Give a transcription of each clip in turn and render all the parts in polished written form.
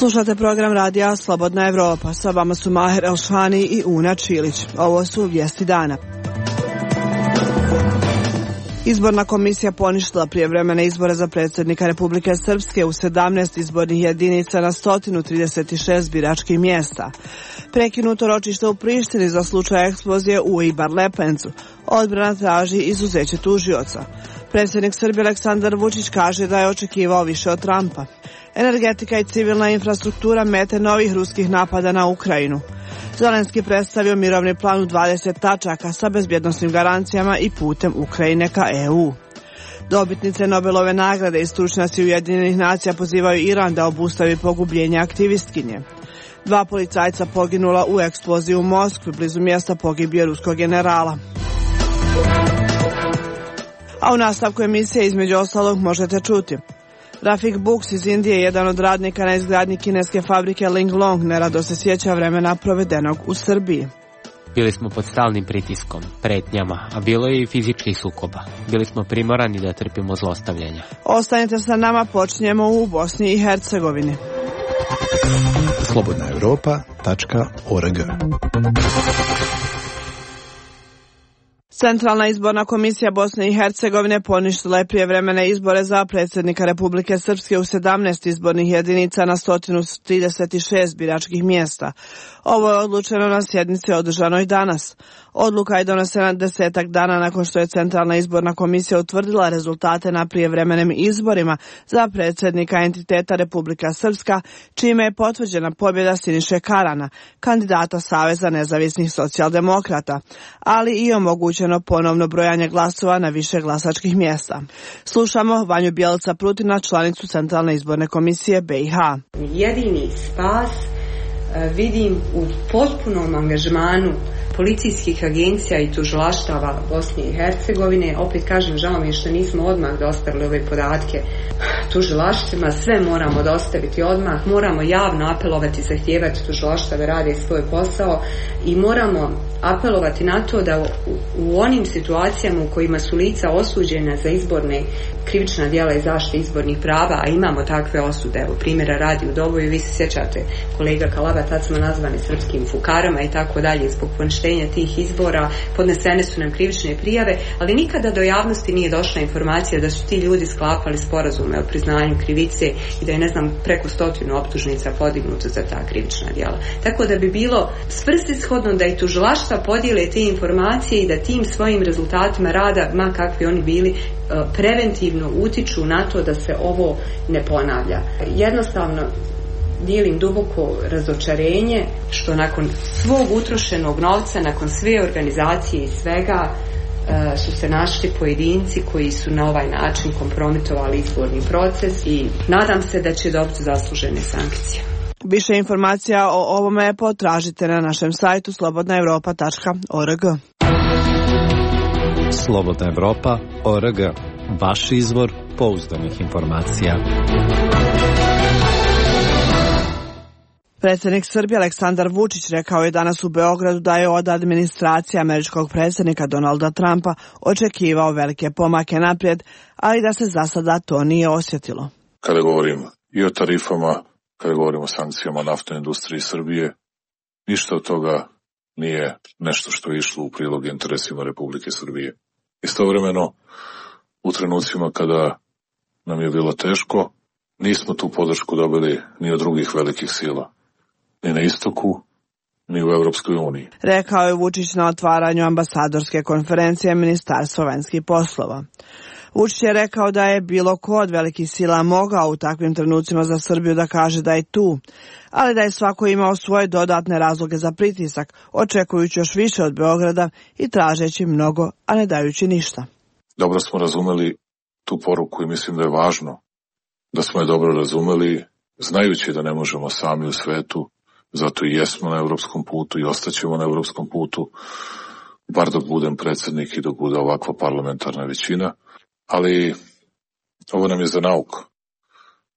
Slušate program radija Slobodna Evropa. Sa vama su Maher Elšani i Una Čilić. Ovo su vijesti dana. Izborna komisija poništila prijevremene izbore za predsjednika Republike Srpske u 17 izbornih jedinica na 136 biračkih mjesta. Prekinuto ročište u Prištini za slučaj eksplozije u Ibar Lepencu. Odbrana traži izuzeće tužioca. Predsjednik Srbije Aleksandar Vučić kaže da je očekivao više od Trumpa. Energetika i civilna infrastruktura mete novih ruskih napada na Ukrajinu. Zelenski predstavio mirovni plan u 20 tačaka sa bezbjednosnim garancijama i putem Ukrajine ka EU. Dobitnice Nobelove nagrade i stručnjaci Ujedinjenih nacija pozivaju Iran da obustavi pogubljenje aktivistkinje. 2 policajca poginula u eksploziji u Moskvi, blizu mjesta pogibije ruskog generala. A u nastavku emisije između ostalog možete čuti: Rafik Buks iz Indije, jedan od radnika na izgradnji kineske fabrike Linglong, nerado se sjeća vremena provedenog u Srbiji. Bili smo pod stalnim pritiskom, pretnjama, a bilo je i fizičkih sukoba. Bili smo primorani da trpimo zlostavljanja. Ostanite sa nama, počinjemo u Bosni i Hercegovini. slobodnaevropa.org. Centralna izborna komisija Bosne i Hercegovine poništila je prijevremene izbore za predsjednika Republike Srpske u 17 izbornih jedinica na 136 biračkih mjesta. Ovo je odlučeno na sjednici održanoj danas. Odluka je donesena 10 dana nakon što je Centralna izborna komisija utvrdila rezultate na prijevremenim izborima za predsjednika entiteta Republika Srpska, čime je potvrđena pobjeda Siniše Karana, kandidata Saveza nezavisnih socijaldemokrata, ali i omogućeno ponovno brojanje glasova na više glasačkih mjesta. Slušamo Vanju Bjelica Prutina, članicu Centralne izborne komisije BiH. Jedini spas vidim u potpunom angažmanu policijskih agencija i tužilaštava Bosne i Hercegovine. Opet kažem, žao mi je što nismo odmah dostavili ove podatke tužilaštvima. Sve moramo dostaviti odmah. Moramo javno apelovati, zahtijevati tužilaštva da rade svoj posao i moramo apelovati na to da u onim situacijama u kojima su lica osuđena za izborne krivična djela i zaštite izbornih prava, a imamo takve osude, evo primjera radi u Doboju, vi se sjećate kolega Kalaba, tad smo nazvani srpskim fukarama i tako dalje, zbog poništenja tih izbora podnesene su nam krivične prijave, ali nikada do javnosti nije došla informacija da su ti ljudi sklapali sporazume o priznanju krivice i da je, ne znam, preko 100 optužnica podignuto za ta krivična djela. Tako da bi bilo svrsishodno da i tužilaštva podijele te informacije i da tim svojim rezultatima rada, ma kakvi oni bili, preventivno utiču na to da se ovo ne ponavlja. Jednostavno dijelim duboko razočarenje što nakon svog utrošenog novca, nakon sve organizacije i svega, su se našli pojedinci koji su na ovaj način kompromitovali izborni proces i nadam se da će dobiti zaslužene sankcije. Više informacija o ovome potražite na našem sajtu slobodnaevropa.org. slobodnaevropa.org. Vaš izvor pouzdanih informacija. Predsjednik Srbije Aleksandar Vučić rekao je danas u Beogradu da je od administracije američkog predsjednika Donalda Trumpa očekivao velike pomake naprijed, ali da se za sada to nije osjetilo. Kada govorim i o tarifama, kada govorimo o sankcijama naftnoj industriji Srbije, ništa od toga nije nešto što je išlo u prilog interesima Republike Srbije. Istovremeno, u trenucima kada nam je bilo teško, nismo tu podršku dobili ni od drugih velikih sila, ni na istoku, ni u Europskoj uniji. Rekao je Vučić na otvaranju ambasadorske konferencije Ministarstva vanjskih poslova. Vučić je rekao da je bilo ko od velikih sila mogao u takvim trenucima za Srbiju da kaže da je tu, ali da je svako imao svoje dodatne razloge za pritisak, očekujući još više od Beograda i tražeći mnogo, a ne dajući ništa. Dobro smo razumeli tu poruku i mislim da je važno da smo je dobro razumeli, znajući da ne možemo sami u svetu, zato i jesmo na evropskom putu i ostaćemo na evropskom putu, bar dok budem predsjednik i dok bude ovakva parlamentarna većina. Ali ovo nam je za nauku,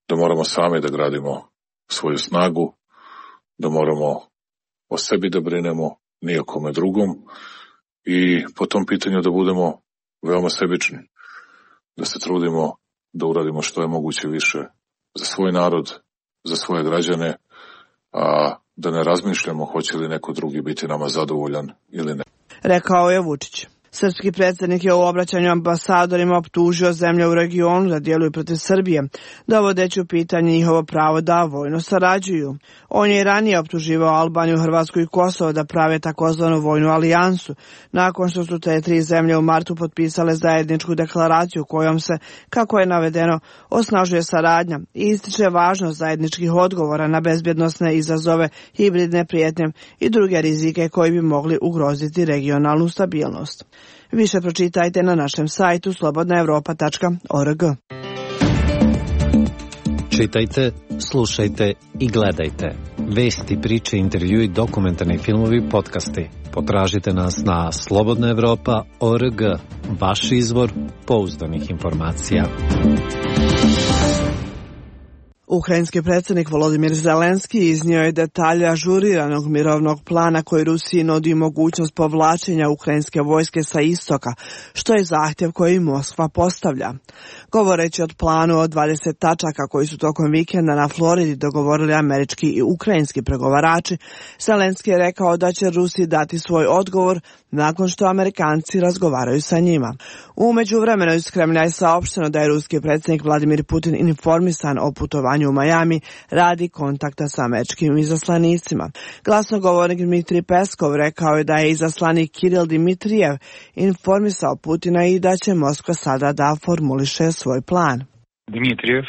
da moramo sami da gradimo svoju snagu, da moramo o sebi da brinemo, ni o kome drugom i po tom pitanju da budemo veoma sebični, da se trudimo da uradimo što je moguće više za svoj narod, za svoje građane, a da ne razmišljamo hoće li neko drugi biti nama zadovoljan ili ne. Rekao je Vučić. Srpski predsjednik je u obraćanju ambasadorima optužio zemlje u regionu da djeluju protiv Srbije, dovodeći u pitanje njihovo pravo da vojno sarađuju. On je i ranije optuživao Albaniju, Hrvatsku i Kosovo da prave takozvanu vojnu alijansu, nakon što su te tri zemlje u martu potpisale zajedničku deklaraciju kojom se, kako je navedeno, osnažuje saradnja i ističe važnost zajedničkih odgovora na bezbjednosne izazove, hibridne prijetnje i druge rizike koji bi mogli ugroziti regionalnu stabilnost. Više pročitajte na našem sajtu slobodnaevropa.org. Čitajte, slušajte i gledajte. Vesti, priče, intervjui, dokumentarni filmovi, podcasti. Potražite nas na slobodnaevropa.org. Vaš izvor pouzdanih informacija. Ukrajinski predsjednik Volodimir Zelenski iznio je detalje ažuriranog mirovnog plana koji Rusiji nudi mogućnost povlačenja ukrajinske vojske sa istoka, što je zahtjev koji Moskva postavlja. Govoreći o planu od 20 tačaka koji su tokom vikenda na Floridi dogovorili američki i ukrajinski pregovarači, Zelenski je rekao da će Rusiji dati svoj odgovor nakon što Amerikanci razgovaraju sa njima. U međuvremenu iz Kremlja je saopšteno da je ruski predsjednik Vladimir Putin informisan o putovanju u Miami radi kontakta sa američkim izaslanicima. Glasnogovornik Dmitrij Peskov rekao je da je izaslanik Kiril Dmitrijev informisao Putina i da će Moskva sada da formuliše svoj plan. Dmitrijev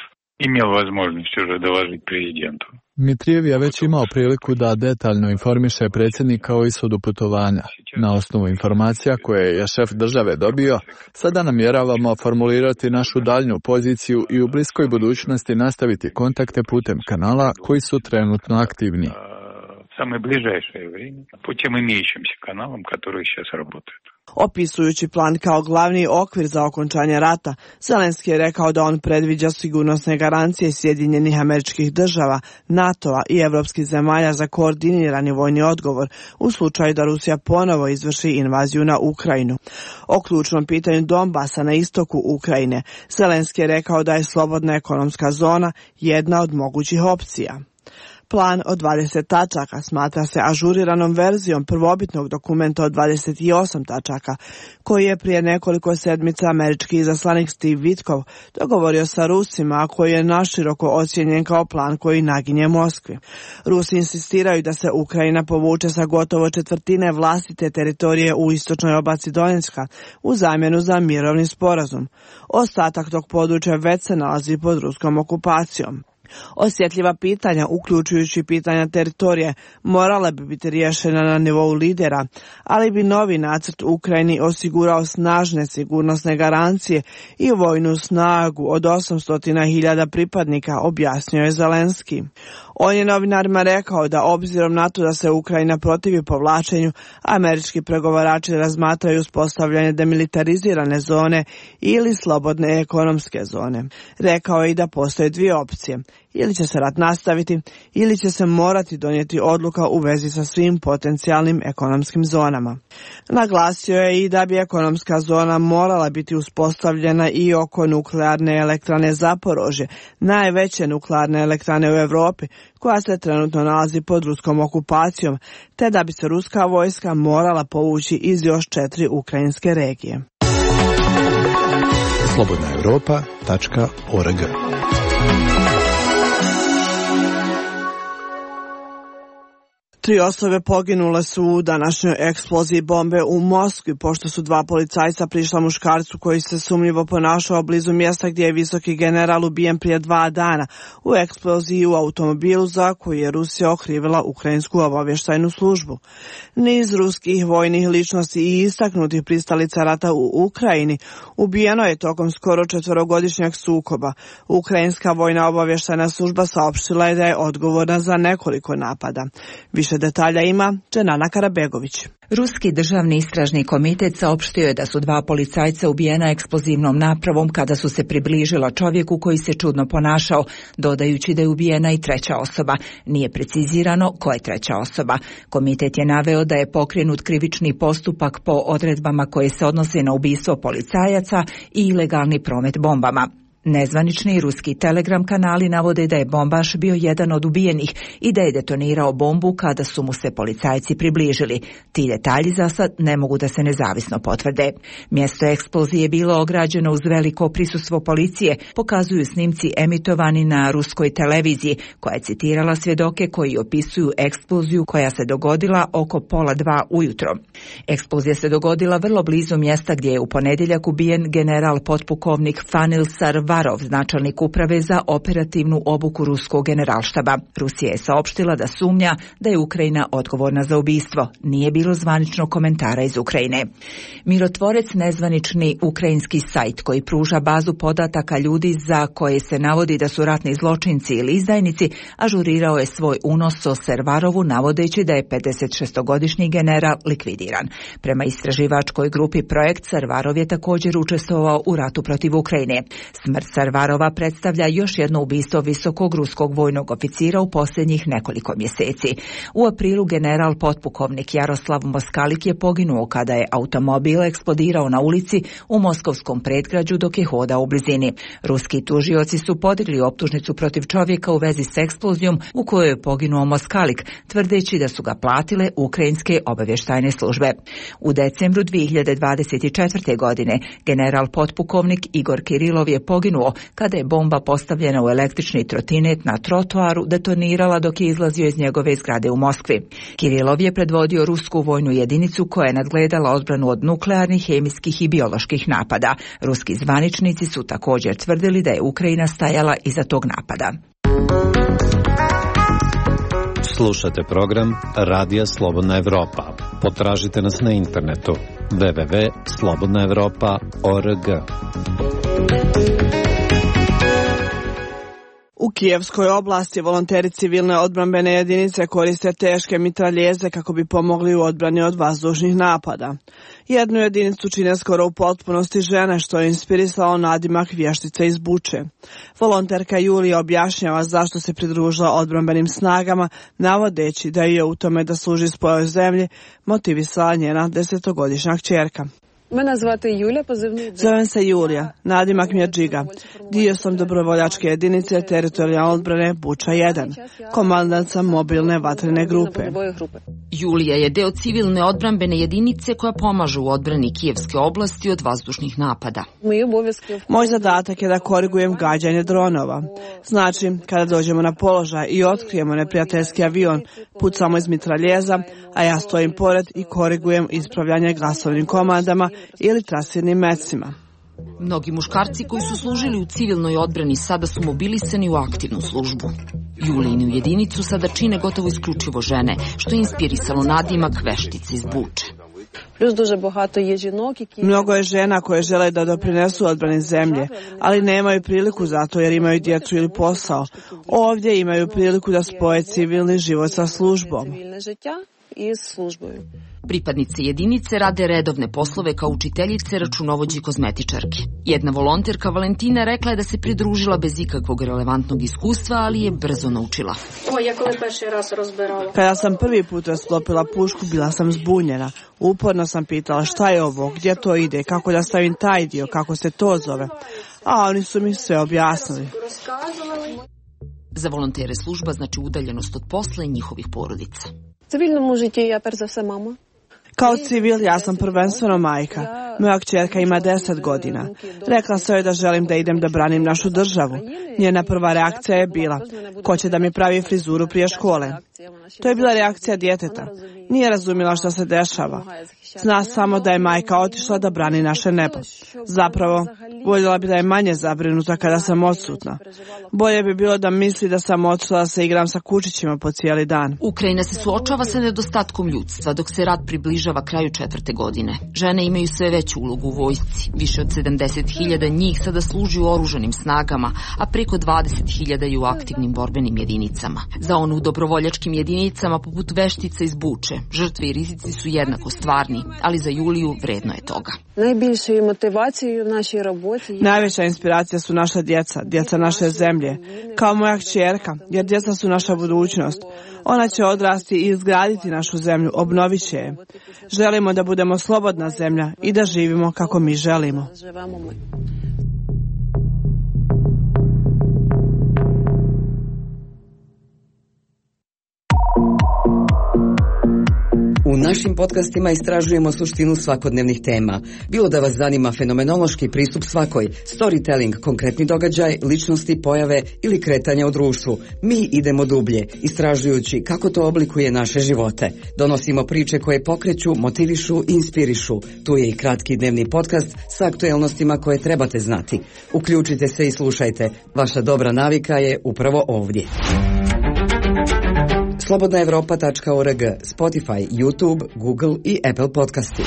imao возможность уже доложить президенту. Dmitrijev je već imao priliku da detaljno informiše predsjednika o ishodu putovanja. Na osnovu informacija koje je šef države dobio, sada namjeravamo formulirati našu daljnju poziciju i u bliskoj budućnosti nastaviti kontakte putem kanala koji su trenutno aktivni. Самое ближайшее время путем имеющимся каналам, которые сейчас работают. Opisujući plan kao glavni okvir za okončanje rata, Zelenski je rekao da on predviđa sigurnosne garancije Sjedinjenih Američkih Država, NATO-a i evropskih zemalja za koordinirani vojni odgovor u slučaju da Rusija ponovo izvrši invaziju na Ukrajinu. O ključnom pitanju Donbasa na istoku Ukrajine, Zelenski je rekao da je slobodna ekonomska zona jedna od mogućih opcija. Plan od 20 tačaka smatra se ažuriranom verzijom prvobitnog dokumenta od 28 tačaka, koji je prije nekoliko sedmica američki izaslanik Steve Witkoff dogovorio sa Rusima, a koji je naširoko ocijenjen kao plan koji naginje Moskvi. Rusi insistiraju da se Ukrajina povuče sa gotovo četvrtine vlastite teritorije u istočnoj oblasti Donjecka u zamjenu za mirovni sporazum. Ostatak tog područja već se nalazi pod ruskom okupacijom. Osjetljiva pitanja, uključujući pitanja teritorije, morala bi biti riješena na nivou lidera, ali bi novi nacrt Ukrajini osigurao snažne sigurnosne garancije i vojnu snagu od 800.000 pripadnika, objasnio je Zelenski. On je novinarima rekao da obzirom na to da se Ukrajina protivi povlačenju, američki pregovarači razmatraju uspostavljanje demilitarizirane zone ili slobodne ekonomske zone. Rekao je i da postoje dvije opcije. Ili će se rat nastaviti, ili će se morati donijeti odluka u vezi sa svim potencijalnim ekonomskim zonama. Naglasio je i da bi ekonomska zona morala biti uspostavljena i oko nuklearne elektrane Zaporožje, najveće nuklearne elektrane u Europi, koja se trenutno nalazi pod ruskom okupacijom, te da bi se ruska vojska morala povući iz još 4 ukrajinske regije. slobodnaevropa.org. 3 osobe poginule su u današnjoj eksploziji bombe u Moskvi, pošto su 2 policajca prišla muškarcu koji se sumnjivo ponašao blizu mjesta gdje je visoki general ubijen prije 2 dana u eksploziji u automobilu za koju je Rusija okrivila ukrajinsku obavještajnu službu. Niz ruskih vojnih ličnosti i istaknutih pristalica rata u Ukrajini ubijeno je tokom skoro 4-godišnjeg sukoba. Ukrajinska vojna obavještajna služba saopštila je da je odgovorna za nekoliko napada. Više detalja ima Dženana Karabegović. Ruski državni istražni komitet saopštio je da su 2 policajca ubijena eksplozivnom napravom kada su se približila čovjeku koji se čudno ponašao, dodajući da je ubijena i 3. osoba. Nije precizirano ko je 3. osoba. Komitet je naveo da je pokrenut krivični postupak po odredbama koje se odnose na ubistvo policajaca i ilegalni promet bombama. Nezvanični ruski telegram kanali navode da je bombaš bio jedan od ubijenih i da je detonirao bombu kada su mu se policajci približili. Ti detalji za sad ne mogu da se nezavisno potvrde. Mjesto eksplozije je bilo ograđeno uz veliko prisustvo policije, pokazuju snimci emitovani na ruskoj televiziji, koja je citirala svjedoke koji opisuju eksploziju koja se dogodila oko 1:30 ujutro. Eksplozija se dogodila vrlo blizu mjesta gdje je u ponedjeljak ubijen general potpukovnik Fanil Sarvarov, načelnik uprave za operativnu obuku ruskog generalštaba. Rusija je saopštila da sumnja da je Ukrajina odgovorna za ubistvo. Nije bilo zvaničnog komentara iz Ukrajine. Mirotvorec, nezvanični ukrajinski sajt koji pruža bazu podataka ljudi za koje se navodi da su ratni zločinci ili izdajnici, ažurirao je svoj unos o Sarvarovu navodeći da je 56-godišnji general likvidiran. Prema istraživačkoj grupi Projekt, Sarvarov je također učestvovao u ratu protiv Ukrajine. Smrt Sarvarova predstavlja još jedno ubistvo visokog ruskog vojnog oficira u posljednjih nekoliko mjeseci. U aprilu general potpukovnik Jaroslav Moskalik je poginuo kada je automobil eksplodirao na ulici u moskovskom predgrađu dok je hodao u blizini. Ruski tužioci su podigli optužnicu protiv čovjeka u vezi s eksplozijom u kojoj je poginuo Moskalik, tvrdeći da su ga platile ukrajinske obavještajne službe. U decembru 2024. godine general potpukovnik Igor Kirilov je poginuo kada je bomba postavljena u električni trotinet na trotoaru detonirala dok je izlazio iz njegove zgrade u Moskvi. Kirilov je predvodio rusku vojnu jedinicu koja je nadgledala odbranu od nuklearnih, hemijskih i bioloških napada. Ruski zvaničnici su također tvrdili da je Ukrajina stajala iza tog napada. Slušate program Radija Slobodna Evropa. Potražite nas na internetu www.slobodnaevropa.org. U Kijevskoj oblasti volonteri civilne odbrambene jedinice koriste teške mitraljeze kako bi pomogli u odbrani od vazdušnih napada. Jednu jedinicu čine skoro u potpunosti žene, što je inspirisalo nadimak vještice iz Buče. Volonterka Julija objašnjava zašto se pridružila odbrambenim snagama, navodeći da je u tome da služi svojoj zemlji motivisala njena 10-godišnja kćerka. Zovem se Julija, nadimak mi je Džiga. Dio sam dobrovoljačke jedinice teritorijalne odbrane Buča 1, komandant sam mobilne vatrene grupe. Julija je deo civilne odbrambene jedinice koja pomaže u odbrani Kijevske oblasti od vazdušnih napada. Moj zadatak je da korigujem gađanje dronova. Znači, kada dođemo na položaj i otkrijemo neprijateljski avion, pucamo iz mitraljeza, a ja stojim pored i korigujem ispravljanje glasovnim komandama ili trasirnim mecima. Mnogi muškarci koji su služili u civilnoj odbrani sada su mobilisani u aktivnu službu. Julijinu jedinicu sada čine gotovo isključivo žene, što je inspirisalo nadimak veštice iz Buče. Mnogo je žena koje žele da doprinesu odbrani zemlje, ali nemaju priliku za to jer imaju djecu ili posao. Ovdje imaju priliku da spoje civilni život sa službom. Pripadnice jedinice rade redovne poslove kao učiteljice, računovođe i kozmetičarke. Jedna volonterka Valentina rekla je da se pridružila bez ikakvog relevantnog iskustva, ali je brzo naučila. Kada sam prvi put rasklopila pušku, bila sam zbunjena. Uporno sam pitala šta je ovo, gdje to ide, kako da stavim taj dio, kako se to zove. A oni su mi sve objasnili. Za volontere služba znači udaljenost od posla i njihovih porodica. Kao civil ja sam prvenstveno majka. Moja kćerka ima 10 godina. Rekla sam joj da želim da idem da branim našu državu. Njena prva reakcija je bila, ko će da mi pravi frizuru prije škole? To je bila reakcija djeteta. Nije razumjela što se dešava. Zna samo da je majka otišla da brani naše nebo. Zapravo, voljela bi da je manje zabrinuta kada sam odsutna. Bolje bi bilo da misli da sam otišla da se igram sa kučićima po cijeli dan. Ukrajina se suočava sa nedostatkom ljudstva dok se rat približava kraju 4. godine. Žene imaju sve veću ulogu u vojsci. Više od 70.000 njih sada služi u oružanim snagama, a preko 20.000 je u aktivnim borbenim jedinicama. Za onu u dobrovoljačkim jedinicama poput veštice iz Buče, žrtve i rizici su jednako stvarni, ali za Juliju vredno je toga. Najveća inspiracija su naša djeca, djeca naše zemlje. Kao moja kćerka, jer djeca su naša budućnost. Ona će odrasti i izgraditi našu zemlju, obnovit će je. Želimo da budemo slobodna zemlja i da živimo kako mi želimo. našim podcastima istražujemo suštinu svakodnevnih tema. Bilo da vas zanima fenomenološki pristup svakoj, storytelling, konkretni događaj, ličnosti, pojave ili kretanja u društvu. Mi idemo dublje, istražujući kako to oblikuje naše živote. Donosimo priče koje pokreću, motivišu i inspirišu. Tu je i kratki dnevni podcast sa aktuelnostima koje trebate znati. Uključite se i slušajte. Vaša dobra navika je upravo ovdje. Slobodnaevropa.org, Spotify, YouTube, Google i Apple podcasti.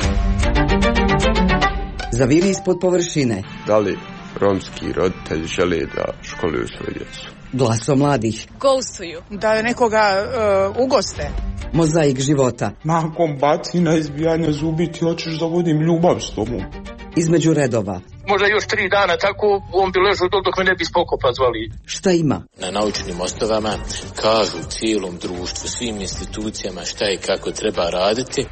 Zaviri ispod površine. Da li romski roditelji žele da školuju svoju djecu? Glaso mladih. Gostuju. Da nekoga ugoste. Mozaik života. Nakon bacina, izbijanja zubi ti hoćeš da vodim ljubav s tobom. Između redova. Možda još 3 dana tako on bi ležao dok me ne bi spokopa zvali. Šta ima? Na naučnim osnovama kažu cijelom društvu, svim institucijama šta i kako treba raditi.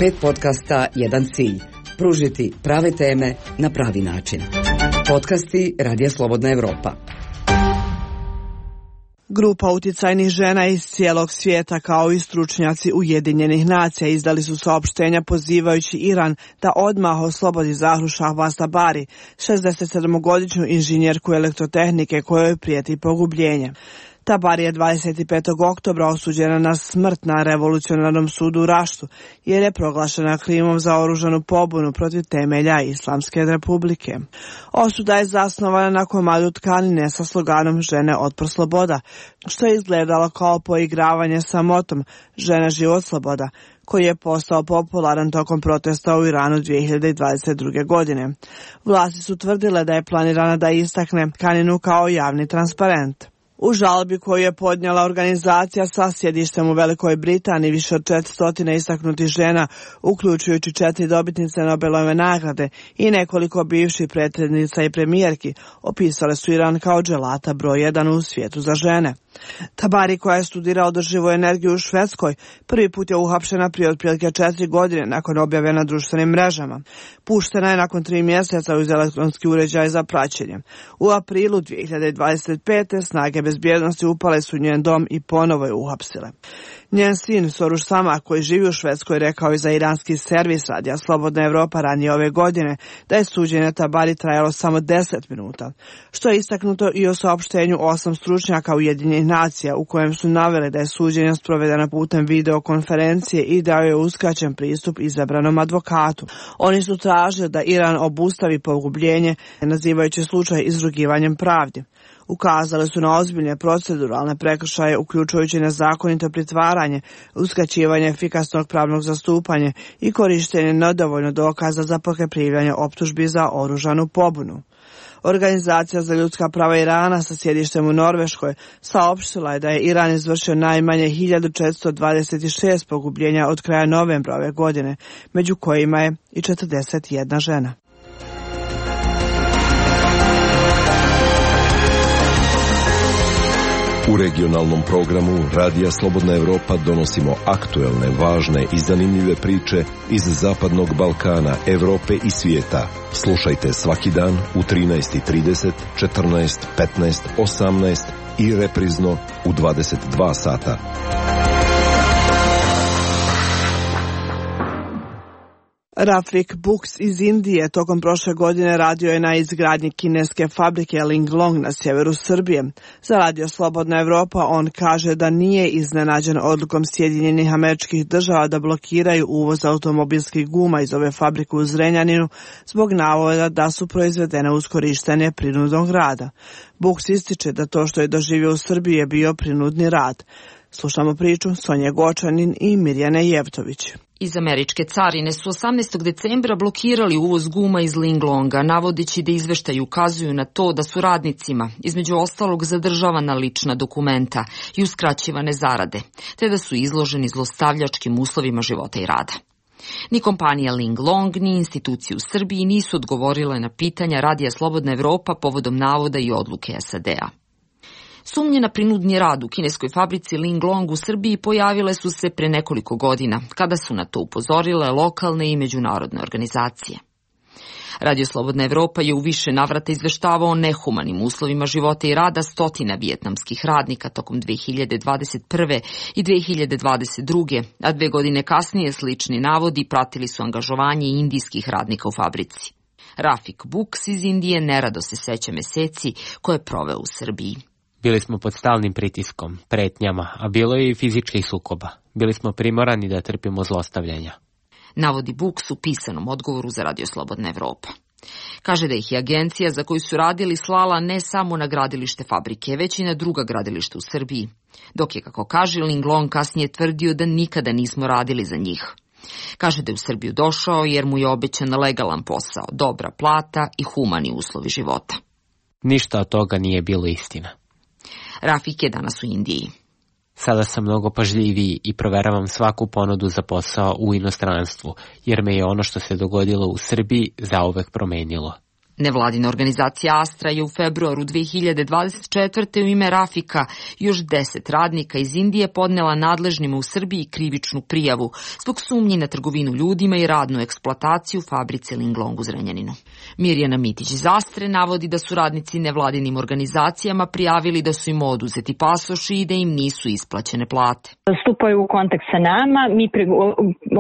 5 podcasta, jedan cilj. Pružiti prave teme na pravi način. Podcasti Radija Slobodna Evropa. Grupa uticajnih žena iz cijelog svijeta kao i stručnjaci Ujedinjenih nacija izdali su saopštenja pozivajući Iran da odmah oslobodi Zahru Šahbaz Tabari, 67-godišnju inženjerku elektrotehnike kojoj prijeti pogubljenje. Tabari je 25. oktobra osuđena na smrt na revolucionarnom sudu u Raštu jer je proglašena krivim za oružanu pobunu protiv temelja Islamske republike. Osuda je zasnovana na komadu tkanine sa sloganom Žene otpor sloboda, što je izgledalo kao poigravanje sa motom Žena život sloboda, koji je postao popularan tokom protesta u Iranu 2022. godine. Vlasti su tvrdile da je planirana da istakne tkaninu kao javni transparent. U žalbi koju je podnijela organizacija sa sjedištem u Velikoj Britaniji, više od 400 istaknutih žena, uključujući 4 dobitnice Nobelove nagrade i nekoliko bivših predsjednica i premijerki, opisale su Iran kao dželata broj 1 u svijetu za žene. Tabari, koja je studirala održivu energiju u Švedskoj, prvi put je uhapšena prije otprilike 4 godine nakon objave na društvenim mrežama. Puštena je nakon 3 mjeseca uz elektronski uređaj za praćenje. U aprilu 2025. snage bezbjednosti upale su njen dom i ponovo je uhapsile. Njen sin Soruš Sama, koji živi u Švedskoj, rekao je za iranski servis Radija Slobodna Evropa ranije ove godine da je suđenje Tabari trajalo samo 10 minuta, što je istaknuto i o saopštenju 8 stručnjaka Ujedinjenih nacija u kojem su naveli da je suđenje sprovedeno putem videokonferencije i da je uskraćen pristup izabranom advokatu. Oni su tražili da Iran obustavi pogubljenje, nazivajući slučaj izrugivanjem pravdi. Ukazali su na ozbiljne proceduralne prekršaje, uključujući nezakonito pritvaranje, uskraćivanje efikasnog pravnog zastupanja i korištenje nedovoljno dokaza za pokrivljanje optužbi za oružanu pobunu. Organizacija za ljudska prava Irana sa sjedištem u Norveškoj saopštila je da je Iran izvršio najmanje 1426 pogubljenja od kraja novembra ove godine, među kojima je i 41 žena. U regionalnom programu Radija Slobodna Evropa donosimo aktuelne, važne i zanimljive priče iz Zapadnog Balkana, Evrope i svijeta. Slušajte svaki dan u 13:30, 14, 15, 18 i reprizno u 22 sata. Rafik Buks iz Indije tokom prošle godine radio je na izgradnji kineske fabrike Linglong na sjeveru Srbije. Za Radio Slobodna Evropa on kaže da nije iznenađen odlukom Sjedinjenih Američkih Država da blokiraju uvoz automobilskih guma iz ove fabrike u Zrenjaninu zbog navoda da su proizvedene uz korištenje prinudnog rada. Buks ističe da to što je doživio u Srbiji je bio prinudni rad. Slušamo priču Sonje Gočanin i Mirjane Jevtović. Iz američke carine su 18. decembra blokirali uvoz guma iz Linglonga, navodeći da izveštaji ukazuju na to da su radnicima, između ostalog, zadržavana lična dokumenta i uskraćivane zarade, te da su izloženi zlostavljačkim uslovima života i rada. Ni kompanija Linglong, ni institucije u Srbiji nisu odgovorile na pitanja Radija Slobodna Evropa povodom navoda i odluke SAD-a. Sumnje na prinudni rad u kineskoj fabrici Linglong u Srbiji pojavile su se pre nekoliko godina, kada su na to upozorile lokalne i međunarodne organizacije. Radio Slobodna Evropa je u više navrata izveštavao o nehumanim uslovima života i rada stotina vijetnamskih radnika tokom 2021. i 2022. a 2 godine kasnije slični navodi pratili su angažovanje indijskih radnika u fabrici. Rafik Buks iz Indije nerado se seća meseci koje je proveo u Srbiji. Bili smo pod stalnim pritiskom, pretnjama, a bilo je i fizičkih sukoba. Bili smo primorani da trpimo zlostavljanja. Navodi Buks u pisanom odgovoru za Radio Slobodna Evropa. Kaže da ih je agencija za koju su radili slala ne samo na gradilište fabrike, već i na druga gradilišta u Srbiji. Dok je, kako kaže, Linglong kasnije tvrdio da nikada nismo radili za njih. Kaže da je u Srbiju došao jer mu je obećan legalan posao, dobra plata i humani uslovi života. Ništa od toga nije bilo istina. Rafik je danas u Indiji. Sada sam mnogo pažljiviji i proveravam svaku ponudu za posao u inostranstvu, jer me je ono što se dogodilo u Srbiji zauvek promenilo. Nevladina organizacija Astra je u februaru 2024. u ime Rafika još 10 radnika iz Indije podnela nadležnima u Srbiji krivičnu prijavu zbog sumnji na trgovinu ljudima i radnu eksploataciju u fabrici Linglong u Zrenjaninu. Mirjana Mitić iz Astre navodi da su radnici nevladinim organizacijama prijavili da su im oduzeti pasoši i da im nisu isplaćene plate. Stupaju u kontakt sa nama, mi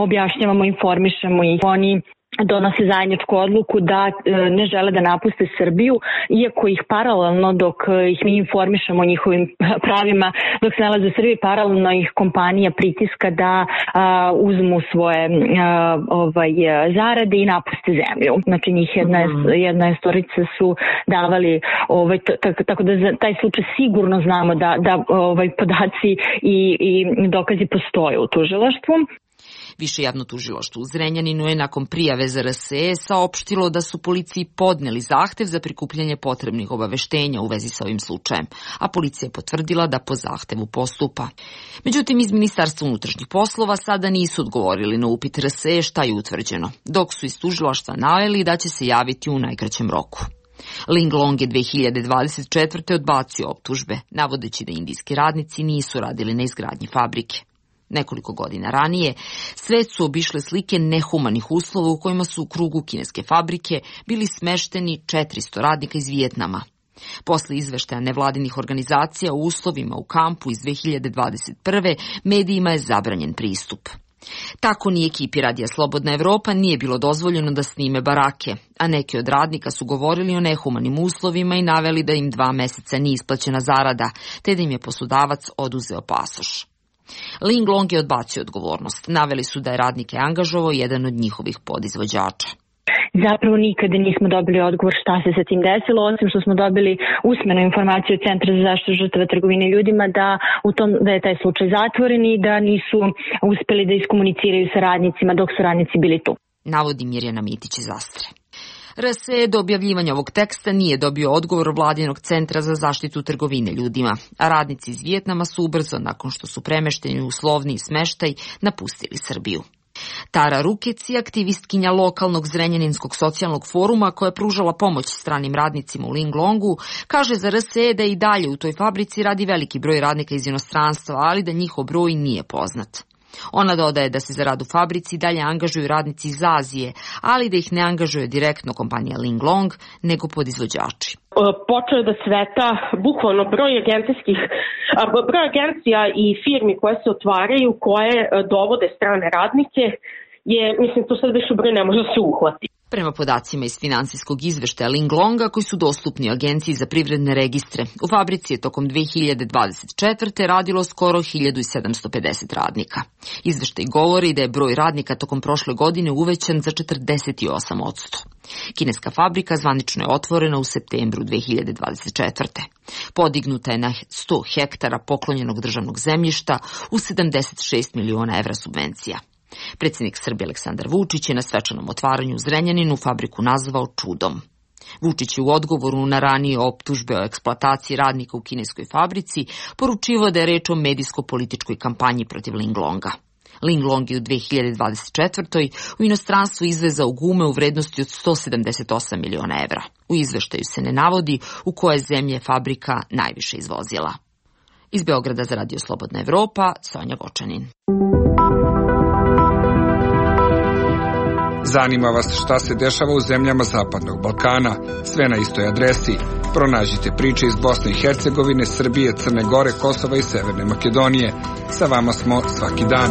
objašnjavamo, informišemo ih, oni donose zajedničku odluku da ne žele da napuste Srbiju, iako ih paralelno, dok ih mi informišemo o njihovim pravima, dok se nalaze u Srbiji, paralelno ih kompanija pritiska da uzmu svoje zarade i napuste zemlju. Znači njih jedna storica su davali, tako da za taj slučaj sigurno znamo da podaci i dokazi postoje u tužilaštvu. Više javno tužilaštvo u Zrenjaninu je nakon prijave za RSE saopštilo da su policiji podneli zahtev za prikupljanje potrebnih obaveštenja u vezi sa ovim slučajem, a policija je potvrdila da po zahtevu postupa. Međutim, iz Ministarstva unutrašnjih poslova sada nisu odgovorili na upit RSE šta je utvrđeno, dok su iz tužilaštva naveli da će se javiti u najkraćem roku. Linglong je 2024. odbacio optužbe, navodeći da indijski radnici nisu radili na izgradnji fabrike. Nekoliko godina ranije svet su obišle slike nehumanih uslova u kojima su u krugu kineske fabrike bili smešteni 400 radnika iz Vijetnama. Posle izveštaja nevladinih organizacija o uslovima u kampu iz 2021. medijima je zabranjen pristup. Tako ni ekipi Radija Slobodna Evropa nije bilo dozvoljeno da snime barake, a neki od radnika su govorili o nehumanim uslovima i naveli da im 2 meseca nije isplaćena zarada, te da im je poslodavac oduzeo pasoš. Linglong je odbacio odgovornost. Naveli su da je radnike angažovao jedan od njihovih podizvođača. Zapravo nikada nismo dobili odgovor šta se sa tim desilo, osim što smo dobili usmenu informaciju od Centra za zaštitu žrtava trgovine ljudima da je taj slučaj zatvoren i da nisu uspeli da iskomuniciraju sa radnicima dok su radnici bili tu. Navodi Mirjana Mitić iz Astre. RSE do objavljivanja ovog teksta nije dobio odgovor Vladinog centra za zaštitu trgovine ljudima, a radnici iz Vijetnama su ubrzo, nakon što su premešteni u uslovniji smeštaj, napustili Srbiju. Tara Rukec je aktivistkinja lokalnog Zrenjaninskog socijalnog foruma koja je pružala pomoć stranim radnicima u Linglongu, kaže za RSE da i dalje u toj fabrici radi veliki broj radnika iz inostranstva, ali da njihov broj nije poznat. Ona dodaje da se za rad u fabrici dalje angažuju radnici iz Azije, ali da ih ne angažuje direktno kompanija Linglong, nego podizvođači. Počeo je da sveta bukvalno broj agencija i firmi koje se otvaraju, koje dovode strane radnike, to sad više broj ne može se uhvati. Prema podacima iz finansijskog izveštaja Linglonga koji su dostupni Agenciji za privredne registre, u fabrici je tokom 2024. radilo skoro 1750 radnika. Izveštaj govori da je broj radnika tokom prošle godine uvećan za 48%. Kineska fabrika zvanično je otvorena u septembru 2024. Podignuta je na 100 hektara poklonjenog državnog zemljišta u 76 miliona evra subvencija. Predsjednik Srbije Aleksandar Vučić je na svečanom otvaranju u Zrenjaninu fabriku nazvao čudom. Vučić je u odgovoru na ranije optužbe o eksploataciji radnika u kineskoj fabrici poručivao da je reč o medijsko-političkoj kampanji protiv Linglonga. Linglong je u 2024. u inostranstvu izvezao gume u vrednosti od 178 miliona evra. U izveštaju se ne navodi u koje zemlje fabrika najviše izvozila. Iz Beograda za Radio Slobodna Evropa, Sonja Gočanin. Zanima vas šta se dešava u zemljama Zapadnog Balkana? Sve na istoj adresi. Pronađite priče iz Bosne i Hercegovine, Srbije, Crne Gore, Kosova i Severne Makedonije. Sa vama smo svaki dan.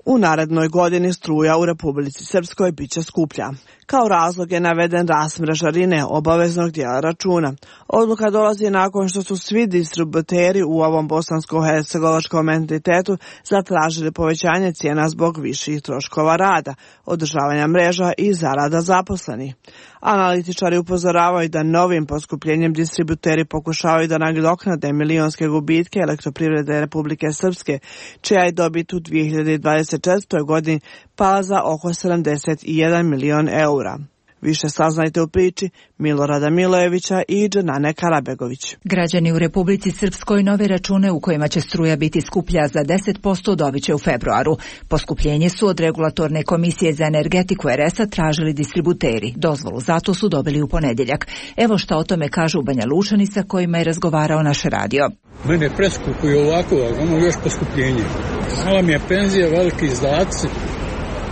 U narednoj godini struja u Republici Srpskoj biće skuplja. Kao razlog je naveden rast mrežarine obaveznog dijela računa. Odluka dolazi nakon što su svi distributeri u ovom bosansko-hercegovačkom entitetu zatražili povećanje cijena zbog viših troškova rada, održavanja mreža i zarada zaposlenih. Analitičari upozoravaju da novim poskupljenjem distributeri pokušavaju da nadoknade milionske gubitke Elektroprivrede Republike Srpske, čija je dobit u 2024. godini pala za oko 71 milion eura. Više saznajte u priči Milorada Milojevića i Dženane Karabegović. Građani u Republici Srpskoj nove račune u kojima će struja biti skuplja za 10% dobit će u februaru. Poskupljenje su od Regulatorne komisije za energetiku RS-a tražili distributeri. Dozvolu zato su dobili u ponedjeljak. Evo šta o tome kažu Banja Lučani sa kojima je razgovarao naš radio. Mene preskupuju ovako, ono još poskupljenje. Mala mi je penzija, veliki izdaci,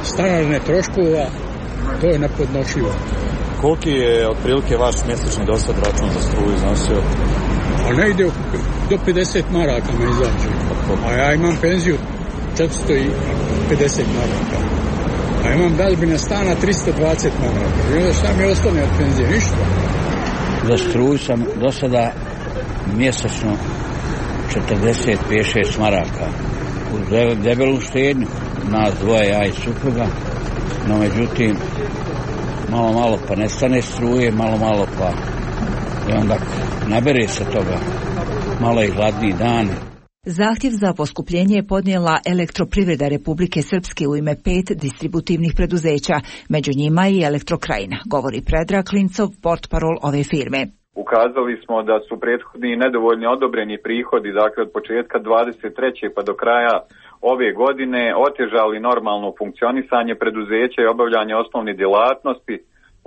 stanarne troškova. To je nepodnošljivo. Koliki je otprilike vaš mjesečni dosad račun za struju iznosio? A ne ide do 50 maraka me izađe. A ja imam penziju 450 maraka. A imam dažbine stana 320 maraka. I onda šta mi ostane od penzije? Ništa. Za struju sam do sada mjesečno 45-6 maraka. U debelu štednju. Nas dvoje, ja i supruga. No međutim, malo pa nestane struje, malo pa i onda nabere se toga, malo i hladniji dan. Zahtjev za poskupljenje je podnijela Elektroprivreda Republike Srpske u ime 5 distributivnih preduzeća, među njima i Elektrokrajina, govori Predrag Klincov, portparol ove firme. Ukazali smo da su prethodni nedovoljni odobreni prihodi, dakle od početka 23. pa do kraja ove godine otežali normalno funkcionisanje preduzeća i obavljanje osnovne djelatnosti,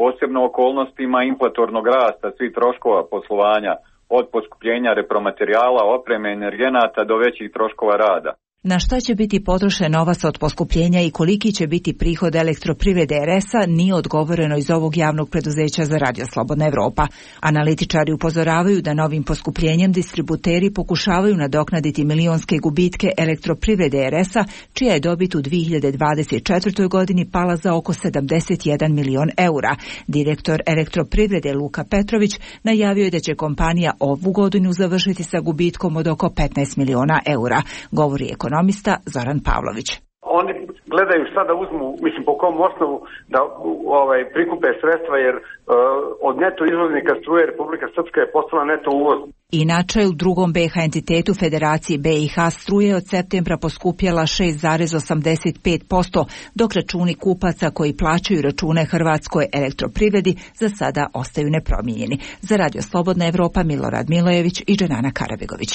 posebno okolnostima inflatornog rasta svih troškova poslovanja, od poskupljenja repromaterijala, opreme, energenata do većih troškova rada. Na šta će biti potrošen novac od poskupljenja i koliki će biti prihod Elektroprivrede RS-a nije odgovoreno iz ovog javnog preduzeća za Radio Slobodna Evropa. Analitičari upozoravaju da novim poskupljenjem distributeri pokušavaju nadoknaditi milionske gubitke Elektroprivrede RS-a, čija je dobit u 2024. godini pala za oko 71 milion eura. Direktor Elektroprivrede Luka Petrović najavio je da će kompanija ovu godinu završiti sa gubitkom od oko 15 miliona eura, govori ekonomista Zoran Pavlović. Oni gledaju šta da uzmu, mislim po kom osnovu da prikupe sredstva, jer od neto izvoznika struje Republika Srpska je postala neto uvoz. Inače, u drugom BiH entitetu Federacije BiH struje od septembra poskupjela 6,85%, dok računi kupaca koji plaćaju račune Hrvatskoj Elektroprivredi za sada ostaju nepromijenjeni. Za Radio Slobodna Evropa Milorad Milojević i Dženana Karabegović.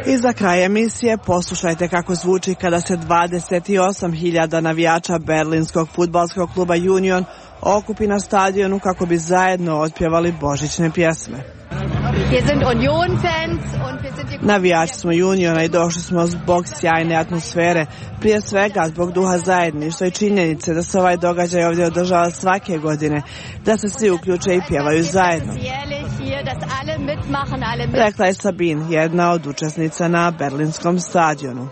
I za kraj emisije poslušajte kako zvuči kada se 28.000 navijača berlinskog fudbalskog kluba Union okupi na stadionu kako bi zajedno otpjevali božićne pjesme. Navijači smo Uniona i došli smo zbog sjajne atmosfere, prije svega zbog duha zajedništva i činjenice da se ovaj događaj ovdje održava svake godine, da se svi uključe i pjevaju zajedno. Rekla je Sabin, jedna od učesnica na berlinskom stadionu.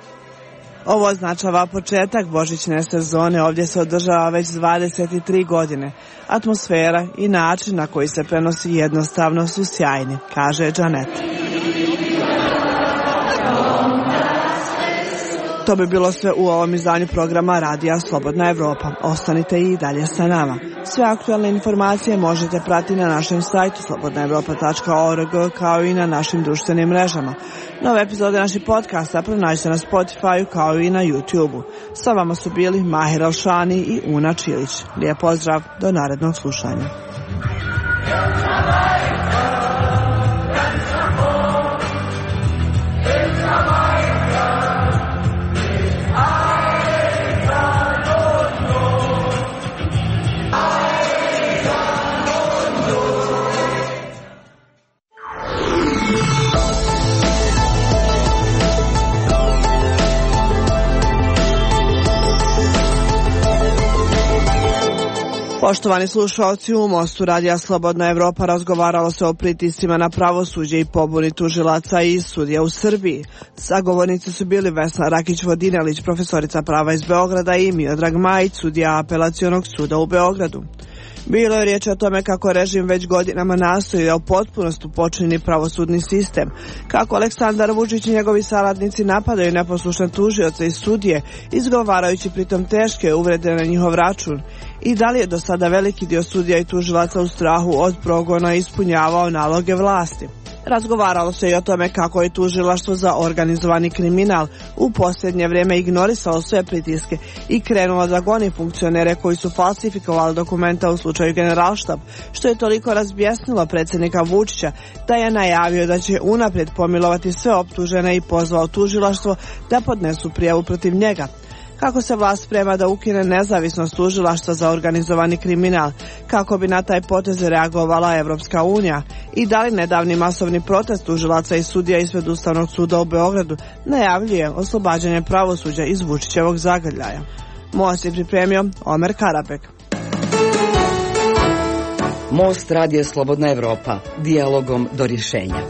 Ovo označava početak božićne sezone, ovdje se održava već 23 godine. Atmosfera i način na koji se prenosi jednostavno su sjajni, kaže Džanet. To bi bilo sve u ovom izdanju programa Radija Slobodna Evropa. Ostanite i dalje sa nama. Sve aktualne informacije možete pratiti na našem sajtu slobodnaevropa.org kao i na našim društvenim mrežama. Nove epizode naših podcasta pronađite na Spotify kao i na YouTube-u. Sa vama su bili Mahir Alšani i Una Čilić. Lijep pozdrav, do narednog slušanja. Poštovani slušalci, u Mostu Radija Slobodna Evropa razgovaralo se o pritiscima na pravosuđe i pobuni tužilaca i sudija u Srbiji. Sagovornici su bili Vesna Rakić-Vodinelić, profesorica prava iz Beograda, i Miodrag Majić, sudija Apelacionog suda u Beogradu. Bilo je riječ o tome kako režim već godinama nastoji da u potpunosti počini pravosudni sistem, kako Aleksandar Vučić i njegovi saradnici napadaju neposlušne tužioce i sudije, izgovarajući pritom teške uvrede na njihov račun, i da li je do sada veliki dio sudija i tužilaca u strahu od progona ispunjavao naloge vlasti. Razgovaralo se i o tome kako je tužilaštvo za organizovani kriminal u posljednje vrijeme ignorisalo sve pritiske i krenulo da goni funkcionere koji su falsifikovali dokumenta u slučaju Generalštab, što je toliko razbjesnilo predsjednika Vučića da je najavio da će unaprijed pomilovati sve optužene i pozvao tužilaštvo da podnesu prijavu protiv njega. Kako se vlast sprema da ukine nezavisnost tužilaštva za organizovani kriminal, kako bi na taj potez reagovala Evropska unija, i da li nedavni masovni protest tužilaca i sudija ispred Ustavnog suda u Beogradu najavljuje oslobađanje pravosuđa iz Vučićevog zagrljaja. Most je pripremio Omer Karabek. Most Radija Slobodna Evropa, dijalogom do rješenja.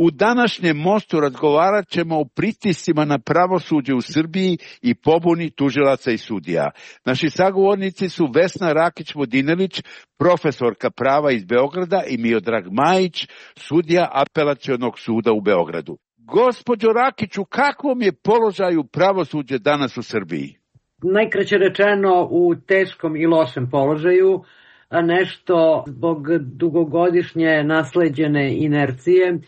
U današnjem Mostu razgovarat ćemo o pritiscima na pravosuđe u Srbiji i pobuni tužilaca i sudija. Naši sagovornici su Vesna Rakić-Vodinelić, profesorka prava iz Beograda, i Miodrag Majić, sudija Apelacionog suda u Beogradu. Gospođo Rakiću, kakvom je položaju pravosuđe danas u Srbiji? Najkraće rečeno, u teškom i lošem položaju, nešto zbog dugogodišnje nasleđene inercije,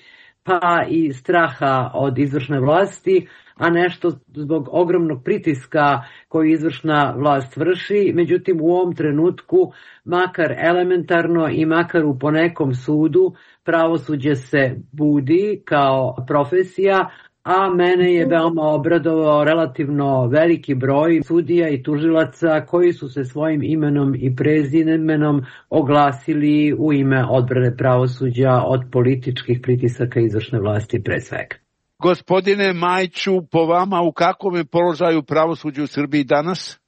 pa i straha od izvršne vlasti, a nešto zbog ogromnog pritiska koji izvršna vlast vrši. Međutim, u ovom trenutku, makar elementarno i makar u ponekom sudu, pravosuđe se budi kao profesija, a mene je veoma obradovao relativno veliki broj sudija i tužilaca koji su se svojim imenom i prezimenom oglasili u ime odbrane pravosuđa od političkih pritisaka izvršne vlasti pre svega. Gospodine Majiću, po vama u kakvom je položaju pravosuđe u Srbiji danas?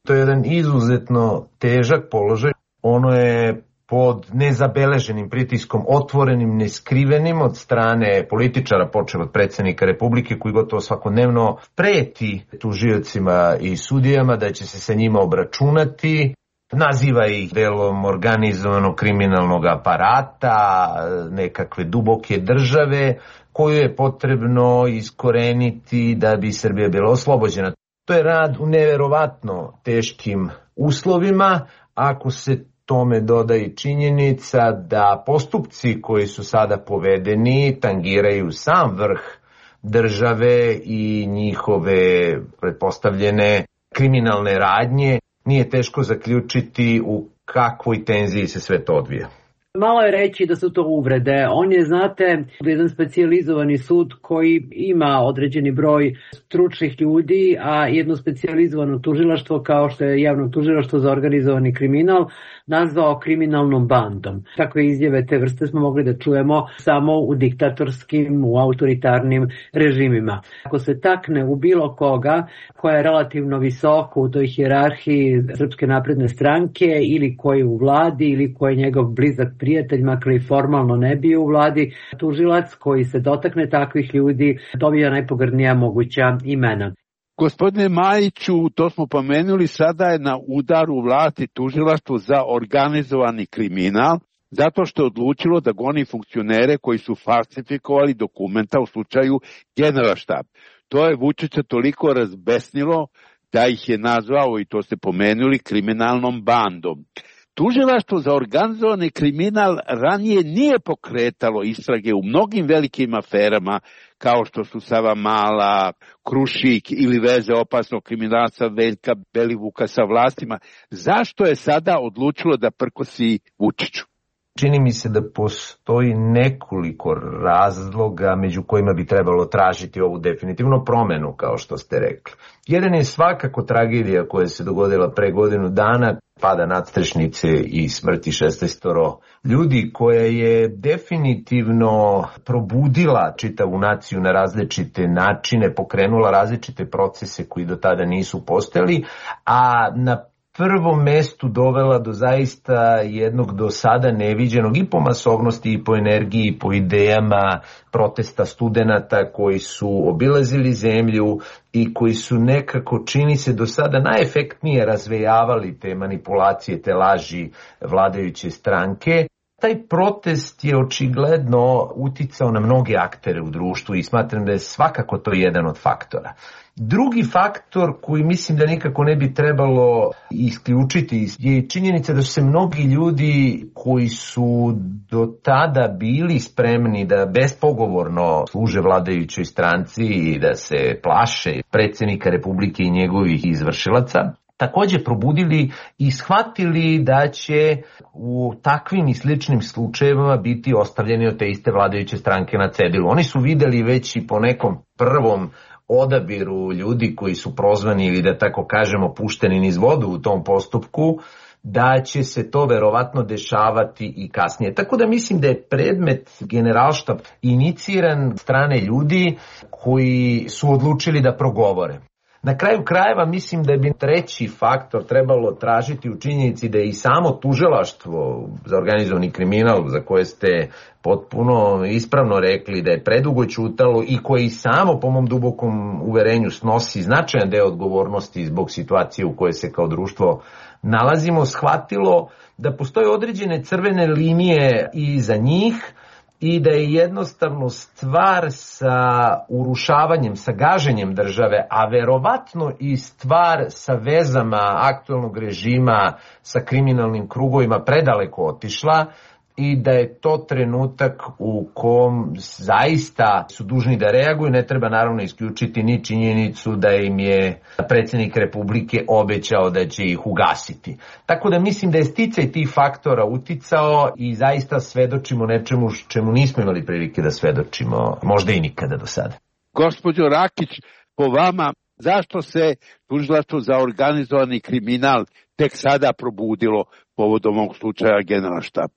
To je jedan izuzetno težak položaj. Ono je pod nezabeleženim pritiskom, otvorenim, neskrivenim od strane političara, počeo od predsjednika Republike, koji gotovo svakodnevno preti tužiocima i sudijama da će se sa njima obračunati. Naziva ih delom organizovanog kriminalnog aparata, nekakve duboke države, koju je potrebno iskoreniti da bi Srbija bila oslobođena. To je rad u neverovatno teškim uslovima, ako se tome doda i činjenica da postupci koji su sada povedeni tangiraju sam vrh države i njihove pretpostavljene kriminalne radnje, nije teško zaključiti u kakvoj tenziji se sve to odvija. Malo je reći da su to uvrede. On je, znate, jedan specijalizovani sud koji ima određeni broj stručnih ljudi, a jedno specijalizovano tužilaštvo kao što je javno tužilaštvo za organizovani kriminal nazvao kriminalnom bandom. Takve izjave te vrste smo mogli da čujemo samo u diktatorskim, u autoritarnim režimima. Ako se takne u bilo koga koja je relativno visoko u toj hijerarhiji Srpske napredne stranke ili koji je u vladi ili koji je njegov blizak prijatelj, makar i formalno ne bio u vladi, tužilac koji se dotakne takvih ljudi dobija najpogrdnija moguća imena. Gospodine Majiću, to smo pomenuli, sada je na udaru vlasti tužilaštvo za organizovani kriminal, zato što je odlučilo da goni funkcionere koji su falsifikovali dokumenta u slučaju Generalštab. To je Vučića toliko razbesnilo da ih je nazvao, i to ste pomenuli, kriminalnom bandom. Tužilaštvo za organizovani kriminal ranije nije pokretalo istrage u mnogim velikim aferama, kao što su Savamala, Krušik ili veze opasnog kriminalca Veljka Belivuka sa vlastima. Zašto je sada odlučilo da prkosi Vučiću? Čini mi se da postoji nekoliko razloga među kojima bi trebalo tražiti ovu definitivno promenu, kao što ste rekli. Jedan je svakako tragedija koja se dogodila pre godinu dana, pada nadstrešnice i smrti 16 ljudi, koja je definitivno probudila čitavu naciju na različite načine, pokrenula različite procese koji do tada nisu postojali, a na prvom mestu dovela do zaista jednog do sada neviđenog i po masovnosti i po energiji i po idejama protesta studenata koji su obilazili zemlju i koji su nekako, čini se, do sada najefektnije razvejavali te manipulacije, te laži vladajuće stranke. Taj protest je očigledno uticao na mnoge aktere u društvu i smatram da je svakako to jedan od faktora. Drugi faktor koji mislim da nikako ne bi trebalo isključiti je činjenica da su se mnogi ljudi koji su do tada bili spremni da bespogovorno služe vladajućoj stranci i da se plaše predsjednika Republike i njegovih izvršilaca, takođe probudili i shvatili da će u takvim i sličnim slučajevima biti ostavljeni od te iste vladajuće stranke na cedilu. Oni su videli već i po nekom prvom odabiru ljudi koji su prozvani ili da tako kažemo pušteni niz vodu u tom postupku, da će se to verovatno dešavati i kasnije. Tako da mislim da je predmet Generalštab iniciran strane ljudi koji su odlučili da progovore. Na kraju krajeva mislim da bi treći faktor trebalo tražiti u činjenici da je i samo tužilaštvo za organizovani kriminal, za koje ste potpuno ispravno rekli da je predugo ćutalo i koje i samo po mom dubokom uverenju snosi značajan deo odgovornosti zbog situacije u kojoj se kao društvo nalazimo, shvatilo da postoje određene crvene linije i za njih, i da je jednostavno stvar sa urušavanjem, sa gaženjem države, a verovatno i stvar sa vezama aktuelnog režima sa kriminalnim krugovima predaleko otišla i da je to trenutak u kom zaista su dužni da reaguju. Ne treba naravno isključiti ni činjenicu da im je predsjednik Republike obećao da će ih ugasiti. Tako da mislim da je sticaj tih faktora uticao i zaista svedočimo nečemu čemu nismo imali prilike da svedočimo, možda i nikada do sada. Gospođo Rakić, po vama, zašto se tužilaštvo za organizovani kriminal tek sada probudilo povodom ovog slučaja Generalštab?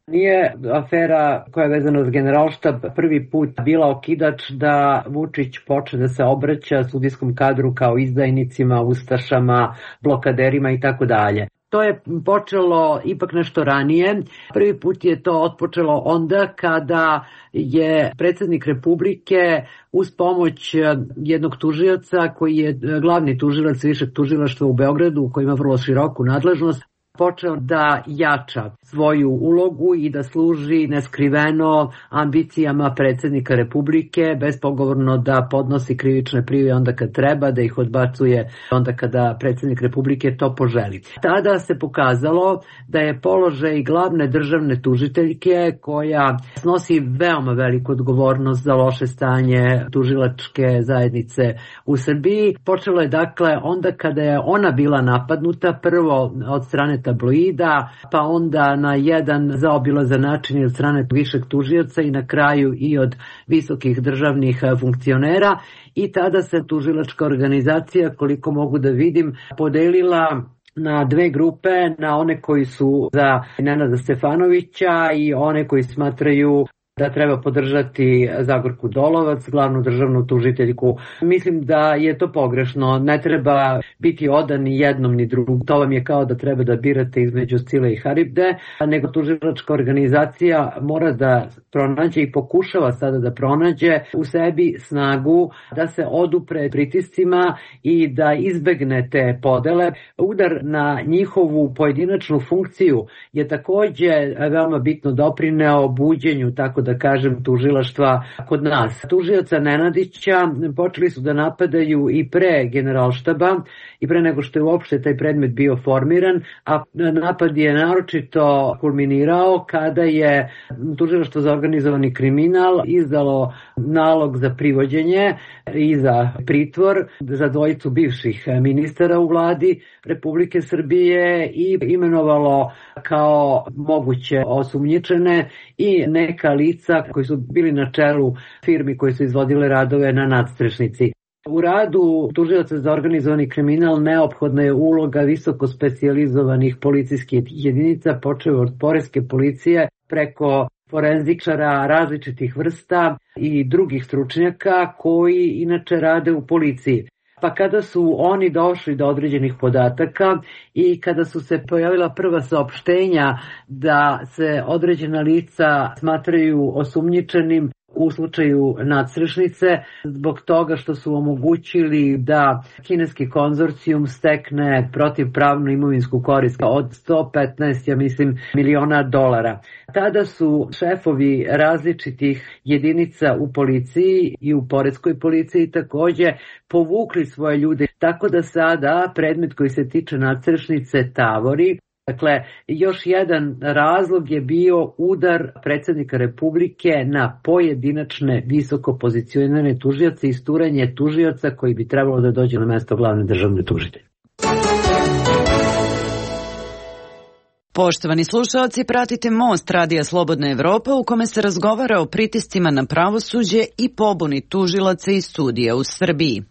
Nije afera koja je vezana za Generalštab prvi put bila okidač da Vučić počne da se obraća sudijskom kadru kao izdajnicima, ustašama, blokaderima i tako dalje. To je počelo ipak nešto ranije. Prvi put je to otpočelo onda kada je predsjednik Republike uz pomoć jednog tužioca koji je glavni tužilac višeg tužilaštva u Beogradu, koji ima vrlo široku nadležnost, počeo da jača svoju ulogu i da služi neskriveno ambicijama predsjednika Republike, bespogovorno da podnosi krivične prijave onda kad treba, da ih odbacuje onda kada predsjednik Republike to poželi. Tada se pokazalo da je položaj glavne državne tužiteljke, koja snosi veoma veliku odgovornost za loše stanje tužilačke zajednice u Srbiji, počelo je dakle onda kada je ona bila napadnuta, prvo od strane tabloida, pa onda na jedan zaobilazan način od strane višeg tužioca i na kraju i od visokih državnih funkcionera, i tada se tužilačka organizacija, koliko mogu da vidim, podelila na dve grupe, na one koji su za Nenada Stefanovića i one koji smatraju da treba podržati Zagorku Dolovac, glavnu državnu tužiteljku. Mislim da je to pogrešno. Ne treba biti odan ni jednom ni drugom. To vam je kao da treba da birate između Scile i Haribde, nego tužilačka organizacija mora da pronađe i pokušava sada da pronađe u sebi snagu da se odupre pritiscima i da izbegne te podele. Udar na njihovu pojedinačnu funkciju je takođe veoma bitno doprineo buđenju tako da kažem, tužilaštva kod nas. Tužioca Nenadića počeli su da napadaju i pre Generalštaba i pre nego što je uopšte taj predmet bio formiran, a napad je naročito kulminirao kada je tužilaštvo za organizovani kriminal izdalo nalog za privođenje i za pritvor za dvojicu bivših ministara u vladi Republike Srbije i imenovalo kao moguće osumnjičene i neka lica koji su bili na čelu firmi koji su izvodile radove na nadstrešnici. U radu tužioca za organizovani kriminal neophodna je uloga visoko specijalizovanih policijskih jedinica, počev od poreske policije preko forenzičara različitih vrsta i drugih stručnjaka koji inače rade u policiji. Pa kada su oni došli do određenih podataka i kada su se pojavila prva saopštenja da se određena lica smatraju osumnjičenim u slučaju nadstrešnice, zbog toga što su omogućili da kineski konzorcijum stekne protivpravnu imovinsku korist od 115, miliona dolara. Tada su šefovi različitih jedinica u policiji i u poreskoj policiji takođe povukli svoje ljude, tako da sada predmet koji se tiče nadstrešnice tavori. Dakle, još jedan razlog je bio udar predsjednika Republike na pojedinačne visoko pozicionirane tužioce i isturanje tužioca koji bi trebalo da dođe na mesto glavne državne tužitelje. Poštovani slušaoci, pratite Most Radija Slobodna Evropa u kome se razgovara o pritiscima na pravosuđe i pobuni tužilaca i sudija u Srbiji.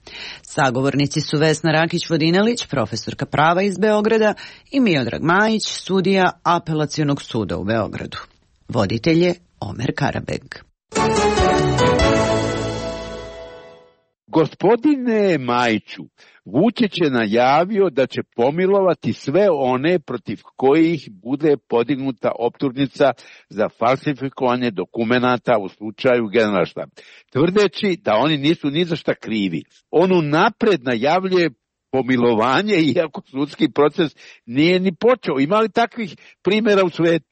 Sagovornici su Vesna Rakić-Vodinelić, profesorka prava iz Beograda, i Miodrag Majić, sudija Apelacionog suda u Beogradu. Voditelj je Omer Karabeg. Gospodine Majiću, Vučić je najavio da će pomilovati sve one protiv kojih bude podignuta optužnica za falsifikovanje dokumenata u slučaju Generalštaba, tvrdeći da oni nisu ni za šta krivi. On unapred najavljuje pomilovanje, iako sudski proces nije ni počeo. Ima li takvih primjera u svetu?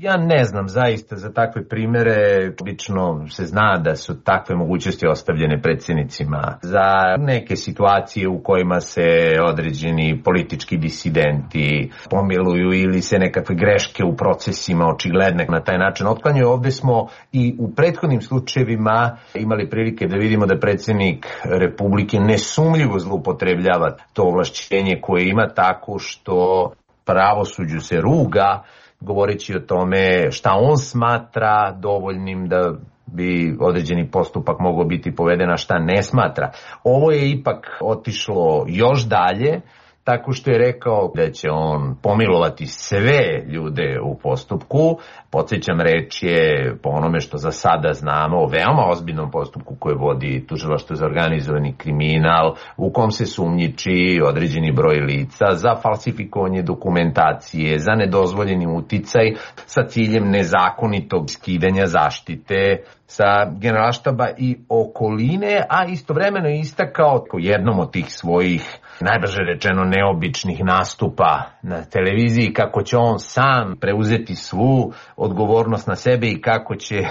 Ja ne znam zaista za takve primere, obično se zna da su takve mogućnosti ostavljene predsjednicima za neke situacije u kojima se određeni politički disidenti pomiluju ili se nekakve greške u procesima očigledne na taj način otklanjaju. Ovdje smo i u prethodnim slučajevima imali prilike da vidimo da predsjednik Republike nesumljivo zloupotrebljava to ovlašćenje koje ima tako što pravosuđu se ruga, govoreći o tome šta on smatra dovoljnim da bi određeni postupak mogao biti poveden, a šta ne smatra. Ovo je ipak otišlo još dalje, tako što je rekao da će on pomilovati sve ljude u postupku. Podsjećam, reč je, po onome što za sada znamo, o veoma ozbiljnom postupku koje vodi Tužilaštvo za organizovani kriminal, u kom se sumnjiči određeni broj lica za falsifikovanje dokumentacije, za nedozvoljeni uticaj sa ciljem nezakonitog skidanja zaštite sa Generalštaba i okoline, a istovremeno je istakao jednom od tih svojih, najbrže rečeno, neobičnih nastupa na televiziji kako će on sam preuzeti svu odgovornost na sebe i kako će,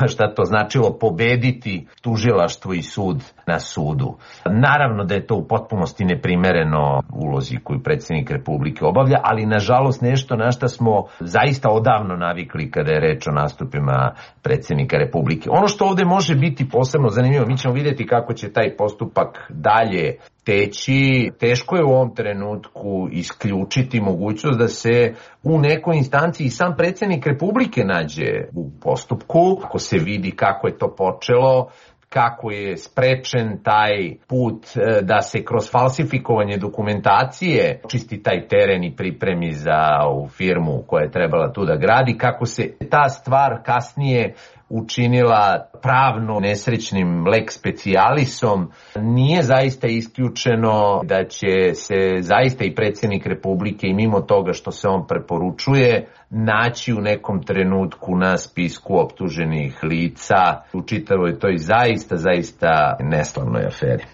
šta to značilo, pobediti tužilaštvo i sud na sudu. Naravno da je to u potpunosti neprimereno ulozi koju predsjednik Republike obavlja, ali nažalost nešto na šta smo zaista odavno navikli kada je reč o nastupima predsjednika Republike. Ono što ovdje može biti posebno zanimljivo, mi ćemo vidjeti kako će taj postupak dalje teći. Teško je u ovom trenutku isključiti mogućnost da se u nekoj instanciji sam predsjednik Republike nađe u postupku. Ako se vidi kako je to počelo, kako je sprečen taj put da se kroz falsifikovanje dokumentacije čisti taj teren i pripremi za ovu firmu koja je trebala tu da gradi, kako se ta stvar kasnije učinila pravno nesrećnim lex specialisom, nije zaista isključeno da će se zaista i predsjednik Republike i mimo toga što se on preporučuje naći u nekom trenutku na spisku optuženih lica u čitavoj toj zaista neslavnoj aferi.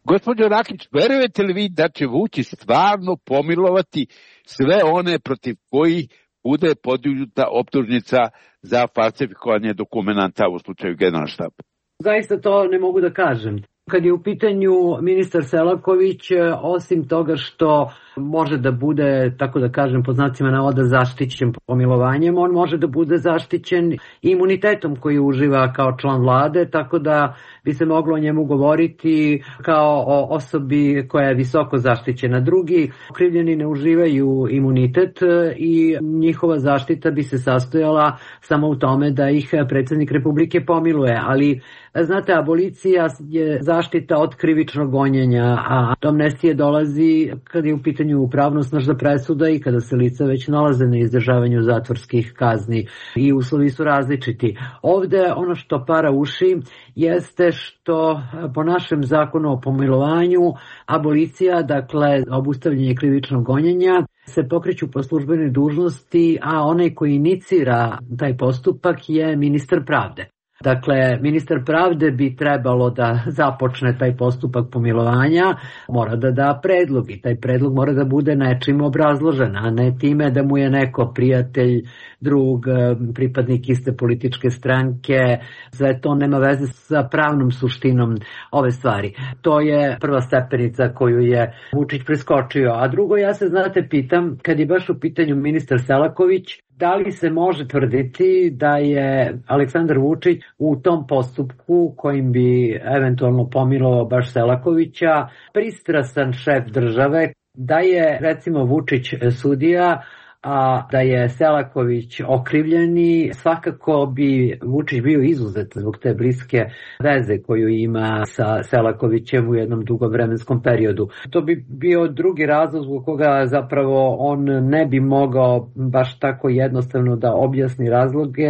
Gospođo Rakić, verujete li vi da će Vučić stvarno pomilovati sve one protiv kojih bude podignuta optužnica za falsifikovanje dokumenta u slučaju Generalštaba? Zaista to ne mogu da kažem. Kad je u pitanju ministar Selaković, osim toga što može da bude, tako da kažem, pod znacima navoda zaštićen pomilovanjem, on može da bude zaštićen imunitetom koji uživa kao član vlade, tako da bi se moglo o njemu govoriti kao o osobi koja je visoko zaštićena. Drugi okrivljeni ne uživaju imunitet i njihova zaštita bi se sastojala samo u tome da ih predsjednik Republike pomiluje, ali znate, abolicija je zaštita od krivičnog gonjenja, a do amnestije dolazi kad je u pitanju pravnosnažna presuda i kada se lica već nalaze na izdržavanju zatvorskih kazni i uslovi su različiti. Ovde ono što para uši jeste što po našem zakonu o pomilovanju abolicija, dakle obustavljanje krivičnog gonjenja, se pokreću po službenoj dužnosti, a onaj koji inicira taj postupak je ministar pravde. Dakle, ministar pravde bi trebalo da započne taj postupak pomilovanja, mora da da predlog i taj predlog mora da bude nečim obrazložen, a ne time da mu je neko prijatelj, drug, pripadnik iste političke stranke, sve to nema veze sa pravnom suštinom ove stvari. To je prva stepenica koju je Vučić preskočio, a drugo ja se, znate, pitam, kad je baš u pitanju ministar Selaković, da li se može tvrditi da je Aleksandar Vučić u tom postupku kojim bi eventualno pomilovao baš Selakovića pristrasan šef države, da je recimo Vučić sudija, a da je Selaković okrivljeni, svakako bi Vučić bio izuzet zbog te bliske veze koju ima sa Selakovićem u jednom dugom vremenskom periodu. To bi bio drugi razlog zbog koga zapravo on ne bi mogao baš tako jednostavno da objasni razloge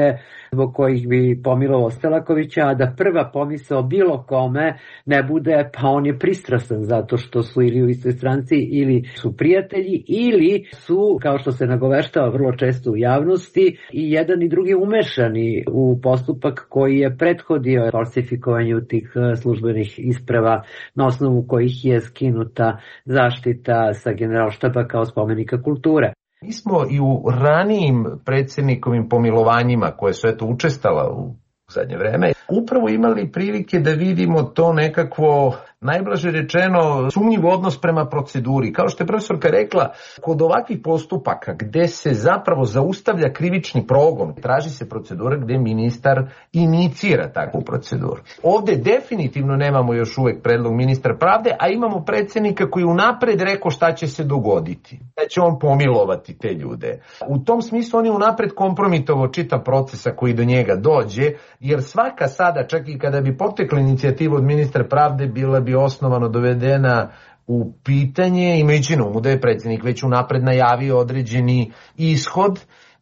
zbog kojih bi pomilovao Selakovića, a da prva pomisao bilo kome ne bude pa on je pristrasan zato što su ili u istoj stranci ili su prijatelji ili su, kao što se nagoveštava vrlo često u javnosti, i jedan i drugi umešani u postupak koji je prethodio falsifikovanju tih službenih isprava na osnovu kojih je skinuta zaštita sa Generalštaba kao spomenika kulture. Mi smo i u ranijim predsjednikovim pomilovanjima koje su učestala u zadnje vreme upravo imali prilike da vidimo to nekakvo, najblaže rečeno, sumnjiv odnos prema proceduri. Kao što je profesorka rekla, kod ovakvih postupaka gde se zapravo zaustavlja krivični progon, traži se procedura gde ministar inicira takvu proceduru. Ovde definitivno nemamo još uvek predlog ministra pravde, a imamo predsjednika koji unapred rekao šta će se dogoditi, da će on pomilovati te ljude. U tom smislu on je unapred kompromitovao čitav procesa koji do njega dođe, jer svaka sada, čak i kada bi potekla inicijativa od ministra pravde, bila bi osnovano dovedena u pitanje, imajući na umu da je predsjednik već unapred najavio određeni ishod,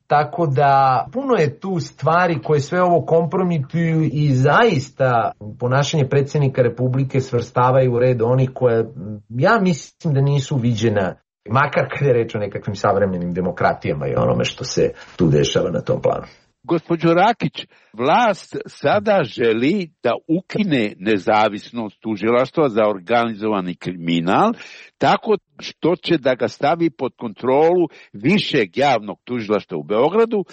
tako da puno je tu stvari koje sve ovo kompromituju i zaista ponašanje predsjednika Republike svrstavaju u red onih koje ja mislim da nisu viđena, makar kada je reč o nekakvim savremenim demokratijama i onome što se tu dešava na tom planu. Gospođo Rakić, vlast sada želi da ukine nezavisnost tužilaštva za organizovani kriminal, tako što će da ga stavi pod kontrolu višeg javnog tužilaštva u Beogradu,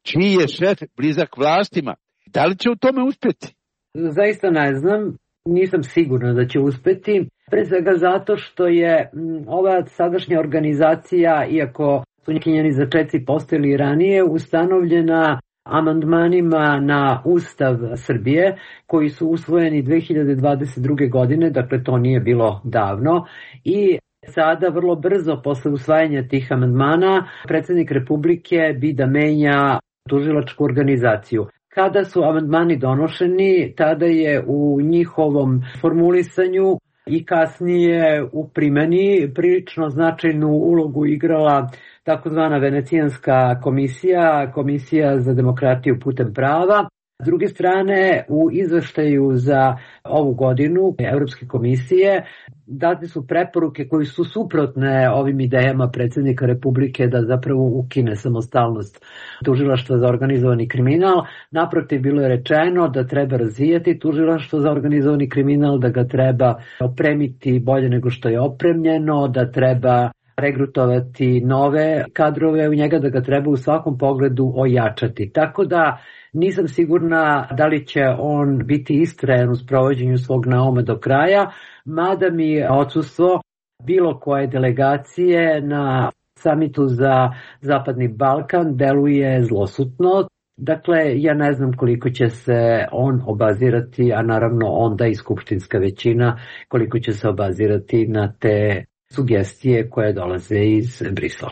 čiji je šef blizak vlastima. Da li će u tome uspjeti? Zaista ne znam, nisam sigurna da će uspjeti, pre svega zato što je ova sadašnja organizacija, iako su njeni začeci postojali ranije, ustanovljena amandmanima na Ustav Srbije koji su usvojeni 2022. godine, dakle to nije bilo davno, i sada vrlo brzo posle usvajanja tih amandmana predsjednik Republike bi da menja tužilačku organizaciju. Kada su amandmani donošeni, tada je u njihovom formulisanju i kasnije u primjeni prilično značajnu ulogu igrala takozvana Venecijanska komisija, Komisija za demokratiju putem prava. S druge strane, u izveštaju za ovu godinu Evropske komisije date su preporuke koji su suprotne ovim idejama predsjednika Republike da zapravo ukine samostalnost tužilaštva za organizovani kriminal. Naprotiv, bilo je rečeno da treba razvijati tužilaštvo za organizovani kriminal, da ga treba opremiti bolje nego što je opremljeno, da treba regrutovati nove kadrove u njega, da ga treba u svakom pogledu ojačati. Tako da nisam sigurna da li će on biti istrajan u sprovođenju svog nauma do kraja, mada mi odsustvo bilo koje delegacije na samitu za Zapadni Balkan deluje zlosutno. Dakle, ja ne znam koliko će se on obazirati, a naravno onda i skupštinska većina, koliko će se obazirati na te sugestije koje dolaze iz Brisela.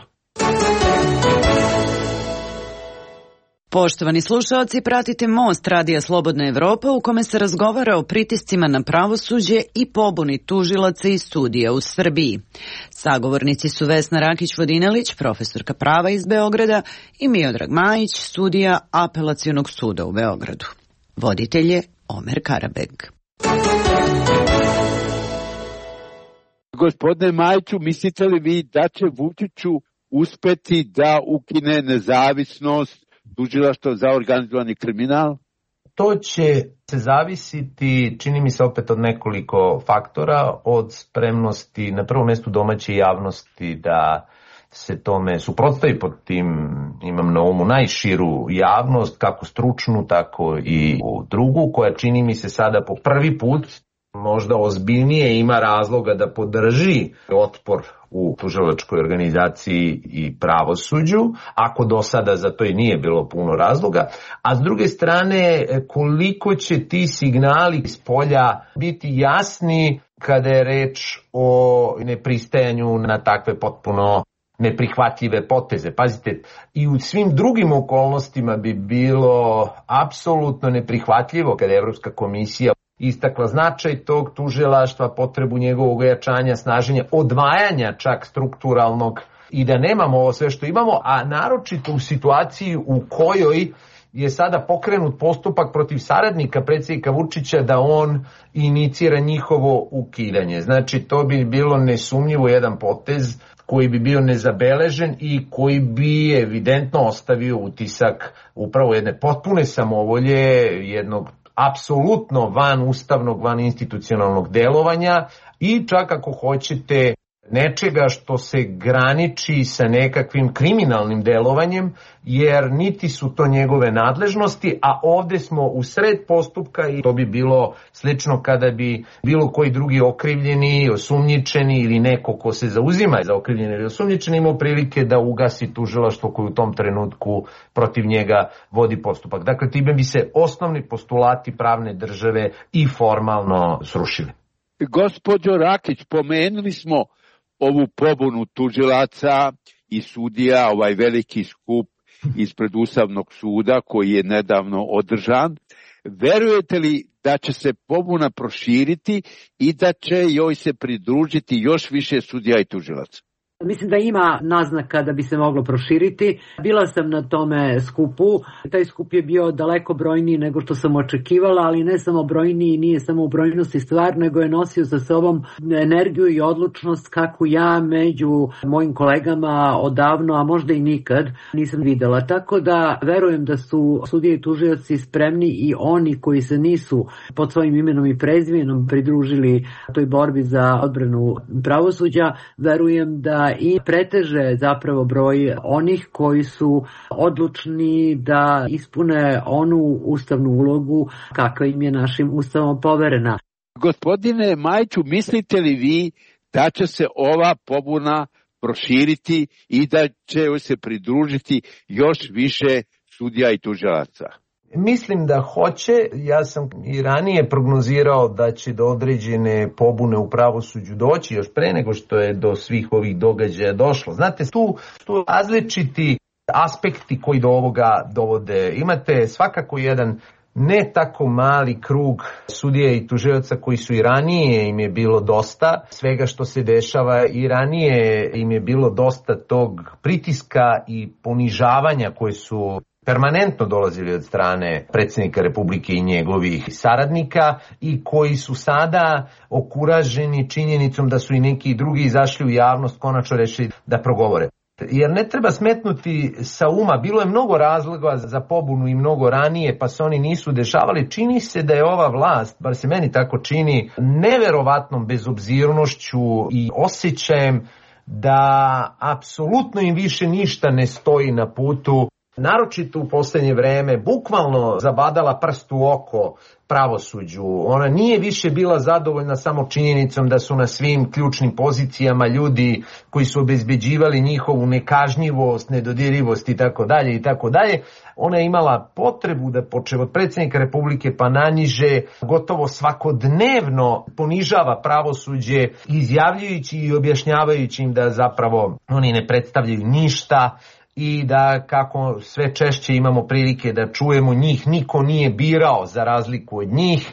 Poštovani slušalci, pratite Most Radija Slobodna Evropa u kome se razgovara o pritiscima na pravosuđe i pobuni tužilaca iz studija u Srbiji. Sagovornici su Vesna Rakić-Vodinelić, profesorka prava iz Beograda, i Miodrag Majić, sudija Apelacionog suda u Beogradu. Voditelj je Omer Karabeg. Gospodine Majiću, mislite li vi da će Vučiću uspeti da ukine nezavisnost tužilaštva za organizovani kriminal? To će se zavisiti, čini mi se, opet od nekoliko faktora, od spremnosti na prvom mjestu domaće javnosti da se tome suprotstavi. Pod tim imam na umu najširu javnost, kako stručnu, tako i drugu, koja čini mi se sada po prvi put možda ozbiljnije ima razloga da podrži otpor u tužilačkoj organizaciji i pravosuđu, ako do sada za to i nije bilo puno razloga, a s druge strane koliko će ti signali iz polja biti jasni kada je reč o nepristajanju na takve potpuno neprihvatljive poteze. Pazite, i u svim drugim okolnostima bi bilo apsolutno neprihvatljivo kada je Evropska komisija istakla značaj tog tužilaštva, potrebu njegovog ojačanja, snaženja, odvajanja čak strukturalnog, i da nemamo ovo sve što imamo, a naročito u situaciji u kojoj je sada pokrenut postupak protiv saradnika predsjednika Vučića da on inicira njihovo ukidanje. Znači, to bi bilo nesumnjivo jedan potez koji bi bio nezabeležen i koji bi evidentno ostavio utisak upravo jedne potpune samovolje, jednog apsolutno van ustavnog, van institucionalnog delovanja i čak ako hoćete nečega što se graniči sa nekakvim kriminalnim delovanjem, jer niti su to njegove nadležnosti, a ovde smo u sred postupka i to bi bilo slično kada bi bilo koji drugi okrivljeni, osumnjičeni ili neko ko se zauzima za okrivljeni ili osumnjičeni imao prilike da ugasi tužilaštvo koje u tom trenutku protiv njega vodi postupak. Dakle, time bi se osnovni postulati pravne države i formalno srušili. Gospođo Rakić, pomenuli smo ovu pobunu tužilaca i sudija, ovaj veliki skup ispred Ustavnog suda koji je nedavno održan. Verujete li da će se pobuna proširiti i da će joj se pridružiti još više sudija i tužilaca? Mislim da ima naznaka da bi se moglo proširiti. Bila sam na tome skupu. Taj skup je bio daleko brojniji nego što sam očekivala, ali ne samo brojniji, nije samo u brojnosti stvar, nego je nosio sa sobom energiju i odlučnost kakvu ja među mojim kolegama odavno, a možda i nikad, nisam videla. Tako da verujem da su sudije i tužioci spremni i oni koji se nisu pod svojim imenom i prezimenom pridružili toj borbi za odbranu pravosuđa, verujem da i preteže zapravo broj onih koji su odlučni da ispune onu ustavnu ulogu kakva im je našim ustavom poverena. Gospodine Majiću, mislite li vi da će se ova pobuna proširiti i da će se pridružiti još više sudija i tužilaca? Mislim da hoće. Ja sam i ranije prognozirao da će do određene pobune u pravosuđu doći još pre nego što je do svih ovih događaja došlo. Znate, tu različiti aspekti koji do ovoga dovode. Imate svakako jedan ne tako mali krug sudija i tužioca koji su i ranije im je bilo dosta svega što se dešava, i ranije im je bilo dosta tog pritiska i ponižavanja koje su permanentno dolazili od strane predsjednika Republike i njegovih saradnika, i koji su sada okuraženi činjenicom da su i neki drugi izašli u javnost, konačno rešili da progovore. Jer ne treba smetnuti sa uma, bilo je mnogo razloga za pobunu i mnogo ranije, pa se oni nisu dešavali. Čini se da je ova vlast, bar se meni tako čini, neverovatnom bezobzirnošću i osjećajem da apsolutno im više ništa ne stoji na putu, naročito u poslednje vreme, bukvalno zabadala prst u oko pravosuđu. Ona nije više bila zadovoljna samo činjenicom da su na svim ključnim pozicijama ljudi koji su obezbeđivali njihovu nekažnjivost, nedodirljivost i tako dalje i tako dalje. Ona je imala potrebu da počev od predsjednika Republike pa naniže gotovo svakodnevno ponižava pravosuđe, izjavljujući i objašnjavajući im da zapravo oni ne predstavljaju ništa i da kako sve češće imamo prilike da čujemo njih niko nije birao za razliku od njih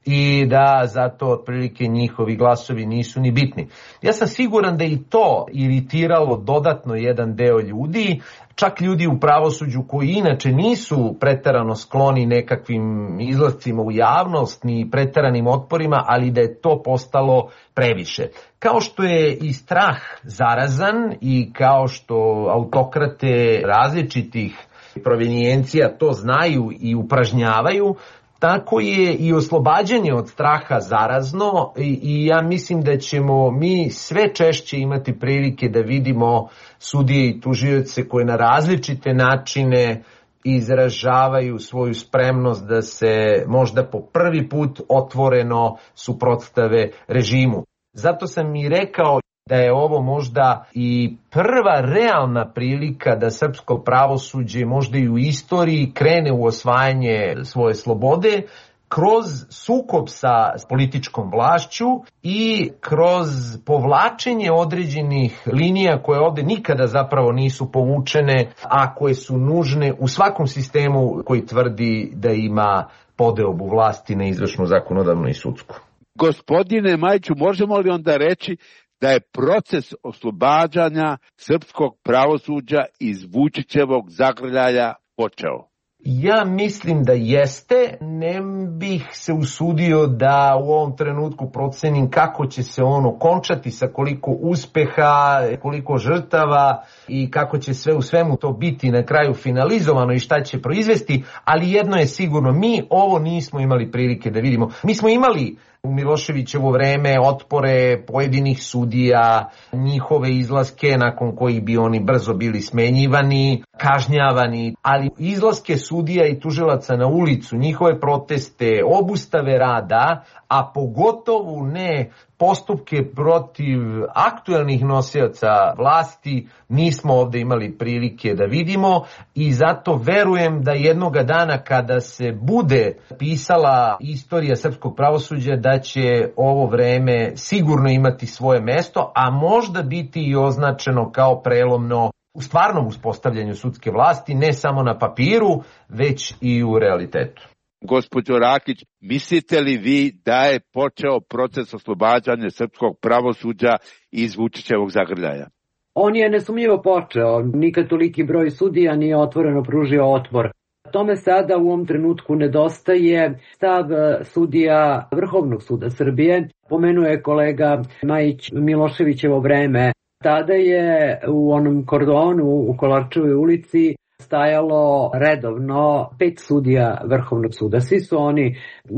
i da zato otprilike njihovi glasovi nisu ni bitni. Ja sam siguran da i to iritiralo dodatno jedan deo ljudi, čak ljudi u pravosuđu koji inače nisu preterano skloni nekakvim izlascima u javnost ni preteranim otporima, ali da je to postalo previše. Kao što je i strah zarazan i kao što autokrate različitih provenijencija to znaju i upražnjavaju, tako je i oslobađanje od straha zarazno i ja mislim da ćemo mi sve češće imati prilike da vidimo sudije i tužioce koje na različite načine izražavaju svoju spremnost da se možda po prvi put otvoreno suprotstave režimu. Zato sam i rekao da je ovo možda i prva realna prilika da srpsko pravosuđe možda i u istoriji krene u osvajanje svoje slobode kroz sukob sa političkom vlašću i kroz povlačenje određenih linija koje ovde nikada zapravo nisu povučene, a koje su nužne u svakom sistemu koji tvrdi da ima podeobu vlasti na izvršnu, zakonodavnu i sudsku. Gospodine Majiću, možemo li onda reći da je proces oslobađanja srpskog pravosuđa iz Vučićevog zagrljaja počeo? Ja mislim da jeste, ne bih se usudio da u ovom trenutku procenim kako će se ono končati, sa koliko uspeha, koliko žrtava i kako će sve u svemu to biti na kraju finalizovano i šta će proizvesti, ali jedno je sigurno, mi ovo nismo imali prilike da vidimo. Mi smo imali u Miloševićevo vreme otpore pojedinih sudija, njihove izlaske nakon kojih bi oni brzo bili smenjivani, kažnjavani, ali izlaske sudija i tužilaca na ulicu, njihove proteste, obustave rada, a pogotovo ne postupke protiv aktuelnih nosioca vlasti, nismo ovde imali prilike da vidimo i zato verujem da jednoga dana kada se bude pisala istorija srpskog pravosuđa da će ovo vreme sigurno imati svoje mesto, a možda biti i označeno kao prelomno u stvarnom uspostavljanju sudske vlasti, ne samo na papiru, već i u realitetu. Gospođo Rakić, mislite li vi da je počeo proces oslobađanja srpskog pravosuđa iz Vučićevog zagrljaja? On je nesumnjivo počeo. Nikad toliki broj sudija nije otvoreno pružio otpor. Tome sada u ovom trenutku nedostaje stav sudija Vrhovnog suda Srbije. Pomenuje kolega Majić Miloševićevo vreme. Tada je u onom kordonu u Kolarčevoj ulici stajalo redovno 5 sudija Vrhovnog suda. Svi su oni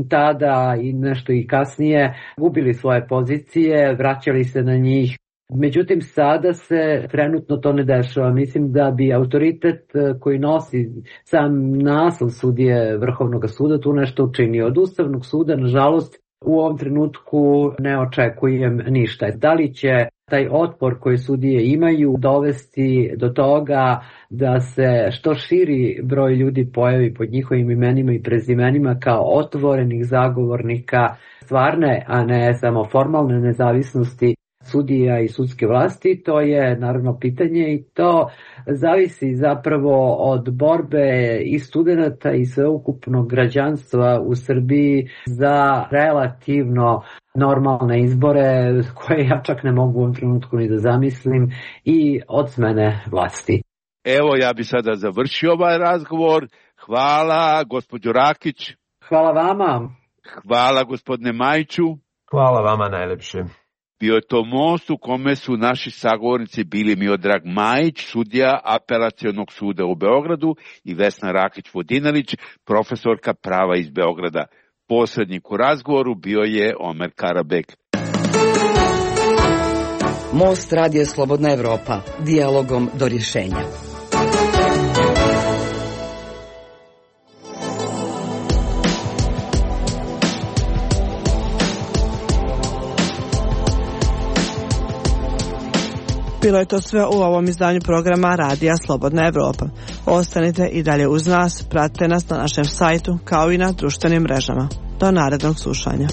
tada i nešto i kasnije gubili svoje pozicije, vraćali se na njih. Međutim, sada se trenutno to ne dešava. Mislim da bi autoritet koji nosi sam naslov sudije Vrhovnog suda tu nešto učinio. Od Ustavnog suda, nažalost, u ovom trenutku ne očekujem ništa. Da li će taj otpor koji sudije imaju dovesti do toga da se što širi broj ljudi pojavi pod njihovim imenima i prezimenima kao otvorenih zagovornika stvarne, a ne samo formalne nezavisnosti sudija i sudske vlasti, to je naravno pitanje i to zavisi zapravo od borbe i studenta i sveukupnog građanstva u Srbiji za relativno normalne izbore koje ja čak ne mogu u ovom trenutku ni da zamislim i od smene vlasti. Evo, ja bi sada završio ovaj razgovor. Hvala, gospođo Rakić. Hvala vama. Hvala, gospodine Majiću. Hvala vama najlepše. Bio je to most u kome su naši sagovornici bili Miodrag Majić, sudija Apelacionog suda u Beogradu, i Vesna Rakić-Vodinelić, profesorka prava iz Beograda. Posrednik u razgovoru bio je Omer Karabek. Most Radio Slobodna Evropa. Dijalogom do rješenja. Bilo je to sve u ovom izdanju programa Radija Slobodna Evropa. Ostanite i dalje uz nas, pratite nas na našem sajtu kao i na društvenim mrežama. Do narednog slušanja.